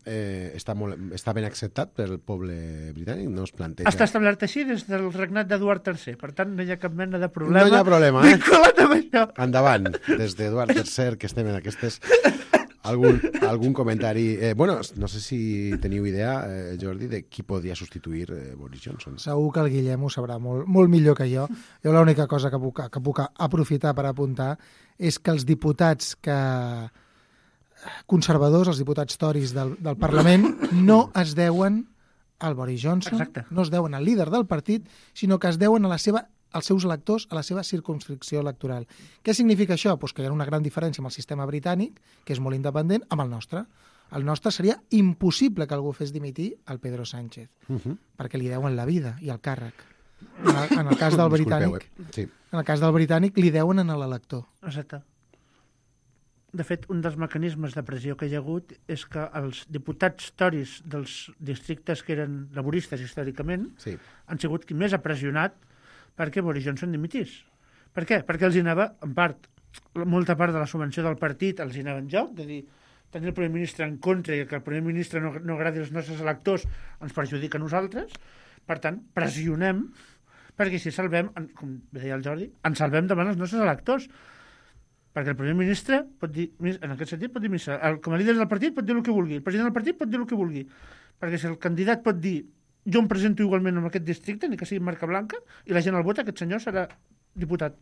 està ben acceptat pel poble britànic? No es planteja... Està establert així des del regnat d'Eduard III, per tant no hi ha cap mena de problema. No hi ha problema, vinculat amb això. Endavant, des d'Eduard III, que estem en aquestes... Algun comentari... Bueno, no sé si teniu idea, Jordi, de qui podria substituir Boris Johnson. Segur que el Guillem ho sabrà molt millor que jo. Jo l'única cosa que puc aprofitar per apuntar és que els diputats conservadors, els diputats toris del Parlament, no es deuen al Boris Johnson, no es deuen al líder del partit, sinó que es deuen als seus electors, a la seva circumscripció electoral. Què significa això? Pues que hi ha una gran diferència amb el sistema britànic, que és molt independent, amb el nostre. El nostre seria impossible que algú fes dimitir el Pedro Sánchez, perquè li deuen la vida i el càrrec. En el cas del britànic, en el cas del britànic li deuen a l'elector. Exacte. De fet, un dels mecanismes de pressió que hi ha hagut és que els diputats toris dels districtes que eren laboristes històricament han sigut qui més ha pressionat perquè Boris Johnson dimitís. Per què? Perquè els hi anava, en part, molta part de la subvenció del partit els hi anava en joc, de dir, tenir el primer ministre en contra i que el primer ministre no agradi als nostres electors ens perjudica a nosaltres. Per tant, pressionem perquè si salvem, com deia el Jordi, ens salvem davant els nostres electors. Perquè el primer ministre pot dir, en aquest sentit, pot dir missa. Com a líder del partit pot dir el que vulgui, el president del partit pot dir el que vulgui. Perquè si el candidat pot dir jo em presento igualment en aquest districte, ni que sigui marca blanca, i la gent el vota, aquest senyor serà diputat.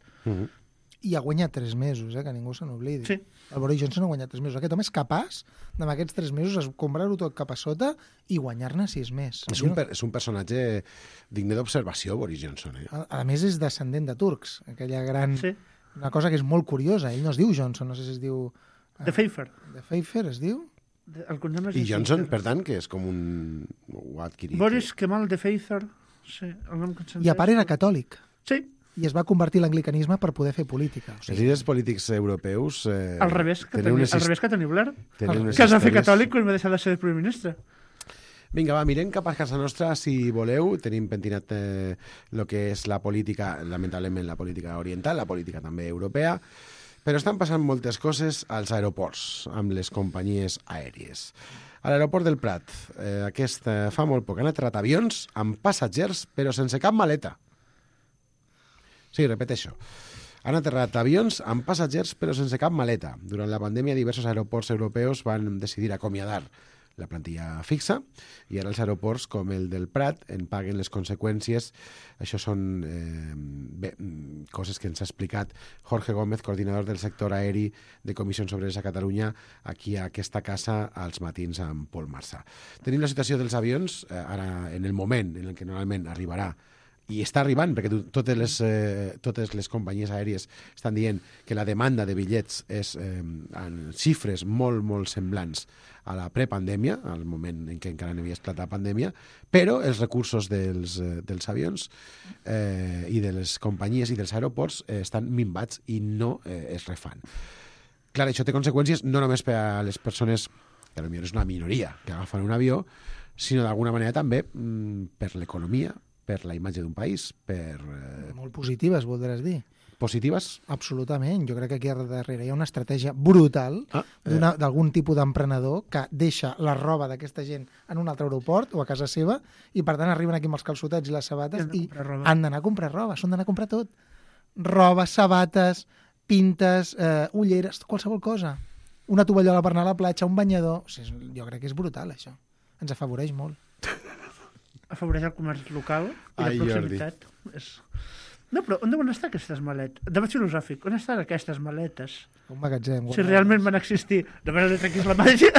I ha guanyat 3 mesos, que ningú se n'oblidi. Sí. El Boris Johnson ha guanyat 3 mesos. Aquest home és capaç, amb aquests 3 mesos, comprar-ho tot cap a sota i guanyar-ne 6 més. És un personatge digne d'observació, Boris Johnson. A més, és descendent de turcs. Aquella gran... Sí. Una cosa que és molt curiosa. Ell no es diu Johnson, no sé si es diu... De Pfeiffer. De Pfeiffer es diu? I Johnson, per tant, que és com un... Ho ha adquirit. Boris Kemal de Pfeiffer. Sí, el nom que et I a part era catòlic. Sí. I es va convertir l'anglicanisme per poder fer política. O sigui, els líders polítics europeus... Al revés que Tony Blair, que es va fer catòlic quan va deixar de ser primer ministre. Vinga, va, mirem cap a casa nostra, si voleu. Tenim pentinat el que és la política, lamentablement la política oriental, la política també europea, però estan passant moltes coses als aeroports, amb les companyies aèries. A l'aeroport del Prat, fa molt poc, han aterrat avions amb passatgers, però sense cap maleta. Sí, repeteixo. Han aterrat avions amb passatgers però sense cap maleta. Durant la pandèmia, diversos aeroports europeus van decidir acomiadar la plantilla fixa i ara els aeroports com el del Prat en paguen les conseqüències. Això són coses que ens ha explicat Jorge Gómez, coordinador del sector aeri de Comissions Obreres a Catalunya, aquí a aquesta casa als matins amb Pol Marçà. Tenim la situació dels avions ara en el moment en què normalment arribarà i està arribant, perquè totes les companyies aèries estan dient que la demanda de bitllets és en xifres molt, molt semblants a la prepandèmia, al moment en què encara no havia esclatat la pandèmia, però els recursos dels avions i de les companyies i dels aeroports estan minvats i no es refan. Clar, això té conseqüències no només per a les persones, que potser és una minoria, que agafen un avió, sinó d'alguna manera també per l'economia, per la imatge d'un país, per... Molt positives, voldràs dir. Positives? Absolutament. Jo crec que aquí darrere hi ha una estratègia brutal d'algun tipus d'emprenedor que deixa la roba d'aquesta gent en un altre aeroport o a casa seva i, per tant, arriben aquí amb els calçotets i les sabates i han d'anar a comprar roba. S'han d'anar a comprar tot. Roba, sabates, pintes, ulleres, qualsevol cosa. Una tovallola per anar a la platja, un banyador... O sigui, jo crec que és brutal, això. Ens afavoreix molt. Afavoreix el comerç local i la proximitat. No, però on deuen estar aquestes maletes? Debat filosòfic, on estan aquestes maletes? Un magatzem. Si realment van existir. De manera que és la màgia.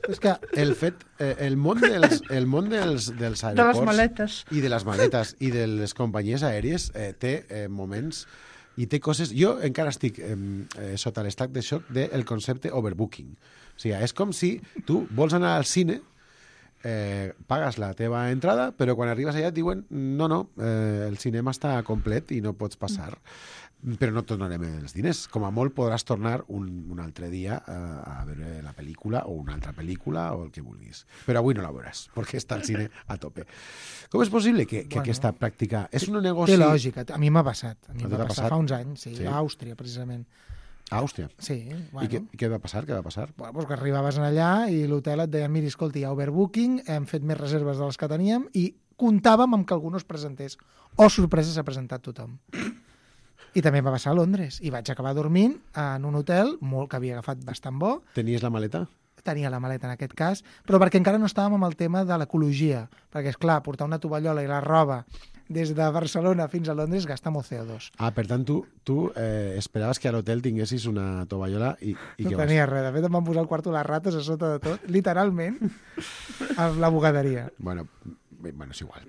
És que el món dels aeroports de les maletes i de les maletes i de les companyies aèries té moments i té coses... Jo encara estic sota l'estat de xoc del concepte overbooking. O sigui, és com si tu vols anar al cine, pagues la teva entrada, però quan arribes allà et diuen no, el cinema està complet i no pots passar. Però no et tornarem els diners. Com a molt podràs tornar un altre dia a veure la pel·lícula o una altra pel·lícula o el que vulguis. Però avui no la veuràs, perquè està el cine a tope. Com és possible que aquesta pràctica... És un negoci... Té lògica. A mi m'ha passat. A mi m'ha passat fa uns anys, sí, a Àustria, precisament. A Àustria? Sí. Bueno. I què va passar? Bueno, doncs que arribaves allà i l'hotel et deia mira, escolta, hi ha overbooking, hem fet més reserves de les que teníem i comptàvem amb que algú no es presentés. Oh, sorpresa, s'ha presentat tothom. I també va passar a Londres. I vaig acabar dormint en un hotel molt que havia agafat bastant bo. Tenies la maleta? Tenia la maleta en aquest cas, però perquè encara no estàvem amb el tema de l'ecologia. Perquè, és clar, portar una tovallola i la roba des de Barcelona fins a Londres gasta molt CO2. Ah, per tant, tu esperaves que a l'hotel tinguessis una tovallola i no tenia res. De fet, em van posar al quarto les rates a sota de tot, literalment, amb la bugaderia. Bueno, és igual.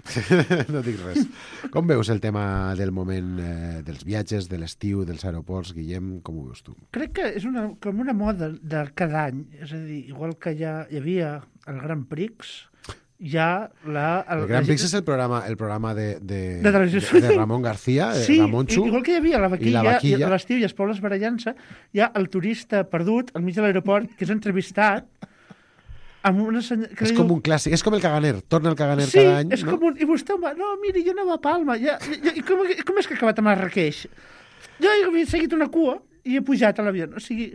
No dic res. Com veus el tema del moment dels viatges, de l'estiu, dels aeroports, Guillem? Com ho veus tu? Crec que és com una moda de cada any. És a dir, igual que ja hi havia el Grand Prix, el Gran Prix és el programa de Ramon García, sí, Ramon Chu. Igual que hi havia la vaquilla. I a l'estiu i els pobles barallant-se, hi ha el turista perdut al mig de l'aeroport que és entrevistat amb una senyora... És com un clàssic, és com el Caganer, torna el Caganer cada any. Sí, és com un... I vostè, no, miri, jo anava a Palma, i com és que ha acabat a Marrakeix? Jo he seguit una cua i he pujat a l'avió. O sigui,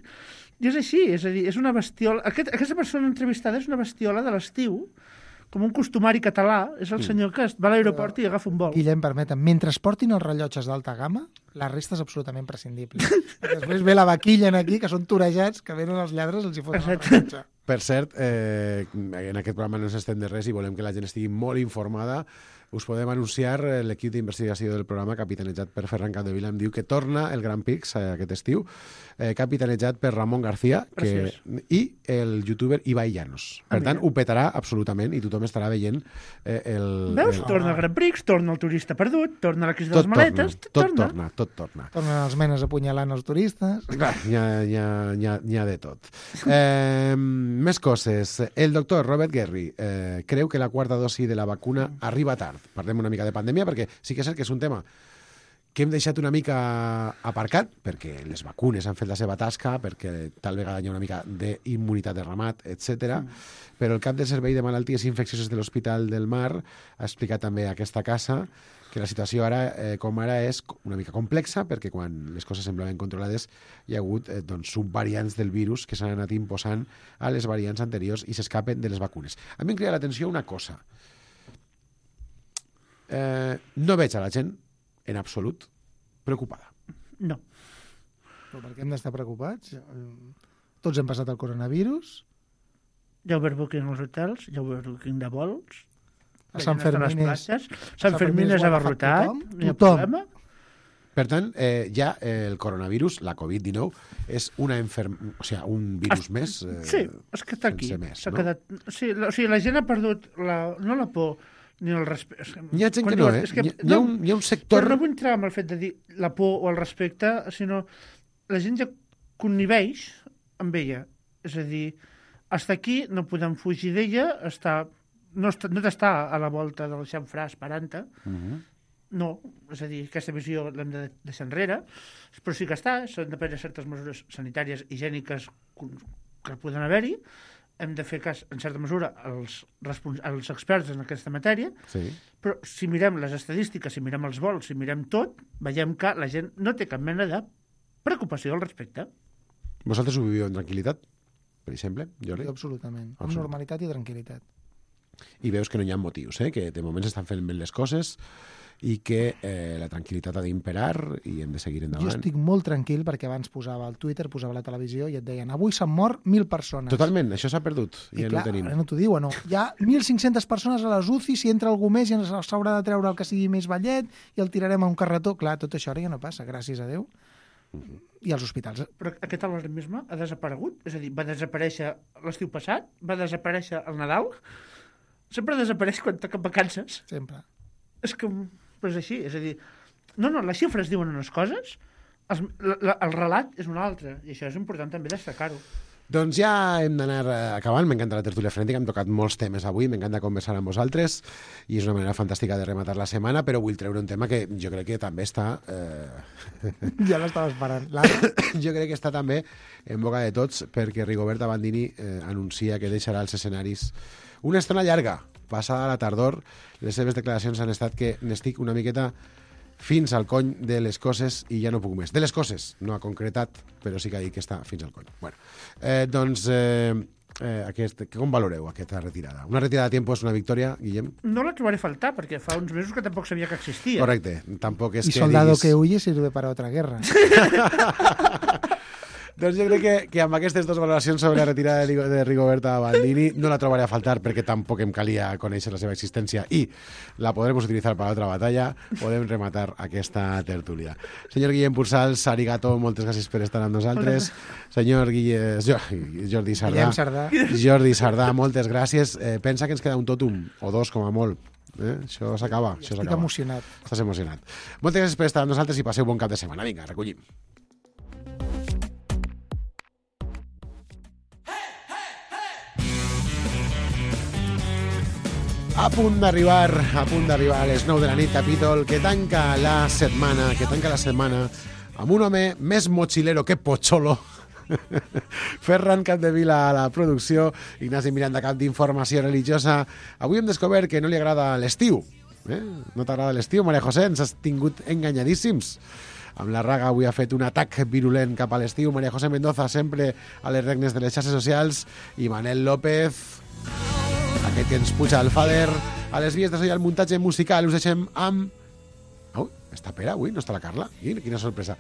és així, és a dir, és una bestiola... Aquesta persona entrevistada és una bestiola de l'estiu, com un costumari català, és el senyor que va a l'aeroport i agafa un vol. Guillem, permetem, mentre es portin els rellotges d'alta gamma, la resta és absolutament prescindible. Després ve la vaquilla aquí, que són torejats, que venen els lladres, els hi foten el rellotge. Per cert, en aquest programa no s'estén de res i volem que la gent estigui molt informada. Us podem anunciar l'equip d'investigació del programa, capitanejat per Ferran Capdevila, em diu que torna el Grand Prix aquest estiu, capitanejat per Ramon García i el youtuber Ibai Llanos. Per tant, ho petarà absolutament i tothom estarà veient el... Veus? Torna el Grand Prix, torna el turista perdut, torna la crisi de les maletes... Tot torna. Tornen els menes apunyalant els turistes... Clar, n'hi ha de tot. Més coses. El doctor Robert Guerri creu que la quarta dosi de la vacuna arriba tard. Parlem una mica de pandèmia, perquè sí que és cert que és un tema que hem deixat una mica aparcat, perquè les vacunes han fet la seva tasca, perquè tal vegada hi ha una mica d'immunitat de ramat, etc. Però el cap del Servei de Malalties Infeccioses de l'Hospital del Mar ha explicat també a aquesta casa que la situació ara, com ara, és una mica complexa, perquè quan les coses semblaven controlades hi ha hagut subvariants del virus que s'han anat imposant a les variants anteriors i s'escapen de les vacunes. A mi em crida l'atenció una cosa. No veig a la gent, en absolut, preocupada? No. Però per què hem d'estar preocupats? Tots hem passat el coronavirus. Hi ha overbooking als hotels, hi ha overbooking de vols, a Sant Fermín és abarrotat, no hi ha tothom. problema. Per tant, ja el coronavirus, la Covid-19, és un virus més. Sí, és que està aquí. Més, no? Quedat... Sí, o sigui, la gent ha perdut no la por ni el respecte. Hi ha gent que no, hi ha un sector... Però no vull entrar amb el fet de dir la por o el respecte, sinó la gent ja conniveix amb ella. És a dir, està aquí, no podem fugir d'ella, no t'està a la volta del xamfrà esperant-te. No, és a dir, aquesta visió l'hem de deixar enrere, però sí que s'han de prendre certes mesures sanitàries, higièniques que poden haver-hi, hem de fer cas, en certa mesura, als experts en aquesta matèria, però si mirem les estadístiques, si mirem els vols, si mirem tot, veiem que la gent no té cap mena de preocupació al respecte. Vosaltres ho viviu en tranquil·litat, per exemple, Jordi? Absolutament, amb normalitat i tranquil·litat. I veus que no hi ha motius, que de moment s'estan fent bé les coses i que la tranquil·litat ha d'imperar i hem de seguir endavant. Jo estic molt tranquil perquè abans posava al Twitter, posava a la televisió i et deien avui s'han mort 1.000 persones. Totalment, això s'ha perdut. I ja clar, no tenim. no t'ho diuen, no. Hi ha 1.500 persones a les UCI, si entra algú més ja s'haurà de treure el que sigui més vellet i el tirarem a un carretó. Clar, tot això ara ja no passa, gràcies a Déu. I als hospitals. Però aquest alarmisme ha desaparegut? És a dir, va desaparèixer l'estiu passat? Va desaparèixer el Nadal? Sempre desapareix quan toquen vacances. Sempre. És que... Però és així, és a dir... No, les xifres diuen unes coses, el relat és un altre, i això és important també destacar-ho. Doncs ja hem d'anar acabant. M'encanta la tertúlia frenètica, hem tocat molts temes avui, m'encanta conversar amb vosaltres, i és una manera fantàstica de rematar la setmana, però vull treure un tema que jo crec que també està... Ja l'estava esperant. Jo crec que està també en boca de tots, perquè Rigoberta Bandini anuncia que deixarà els escenaris una estona llarga, passada la tardor. Les seves declaracions han estat que n'estic una miqueta fins al cony de les coses i ja no puc més. De les coses, no ha concretat, però sí que ha dit que està fins al cony. Bueno, com valoreu aquesta retirada? Una retirada a tiempo és una victòria, Guillem? No la trobaré a faltar, perquè fa uns mesos que tampoc sabia que existia. Correcte, tampoc és y que soldado diguis... que huye sirve para otra guerra. Doncs jo crec que amb aquestes dues valoracions sobre la retirada de Rigoberta Bandini no la trobaré a faltar perquè tampoc em calia conèixer la seva existència i la podrem utilitzar per a l'altra batalla. Podem rematar aquesta tertúlia. Senyor Guillem Pursals, arigato, moltes gràcies per estar amb nosaltres. Senyor Jordi Sardà, moltes gràcies. Pensa que ens queda un tòtum o dos com a molt. Això s'acaba. Estic emocionat. Estàs emocionat. Moltes gràcies per estar amb nosaltres i passeu bon cap de setmana. Vinga, recollim. A punt d'arribar a les 9 de la nit, capítol que tanca la setmana amb un home més mochilero que Pocholo. Ferran Capdevila a la producció, Ignasi Miranda, cap d'informació religiosa. Avui hem descobert que no li agrada l'estiu. No t'agrada l'estiu, Maria José? Ens has tingut enganyadíssims. Amb la Raga avui ha fet un atac virulent cap a l'estiu. Maria José Mendoza sempre a les regnes de les xarxes socials. I Manel López, aquest que ens puja el fader a les vies de so i al muntatge musical. Us deixem amb... està Pere avui? No està la Carla? Quina sorpresa.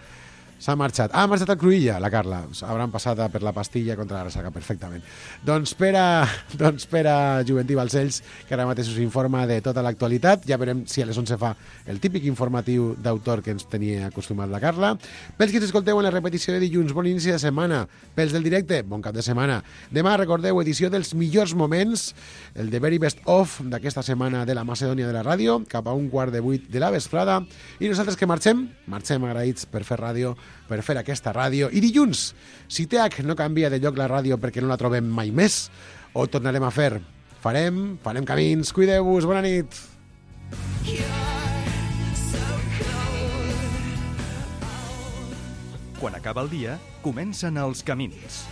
S'ha marxat. Ha marxat al Cruïlla, la Carla. Hauran passat per la pastilla contra la ressaca perfectament. Doncs Pere Juventí Balcells, que ara mateix us informa de tota l'actualitat. Ja veurem si a les 11 fa el típic informatiu d'autor que ens tenia acostumat la Carla. Pels que ens escolteu en la repetició de dilluns, bon inici de setmana. Pels del directe, bon cap de setmana. Demà, recordeu, edició dels millors moments, el The Very Best Of d'aquesta setmana de la Macedònia de la ràdio, cap a 7:15 de la vesprada. I nosaltres que marxem agraïts per fer ràdio, per fer aquesta ràdio. I dilluns, si TH no canvia de lloc la ràdio perquè no la trobem mai més, ho tornarem a fer. Farem camins. Cuideu-vos. Bona nit. Quan acaba el dia, comencen els camins.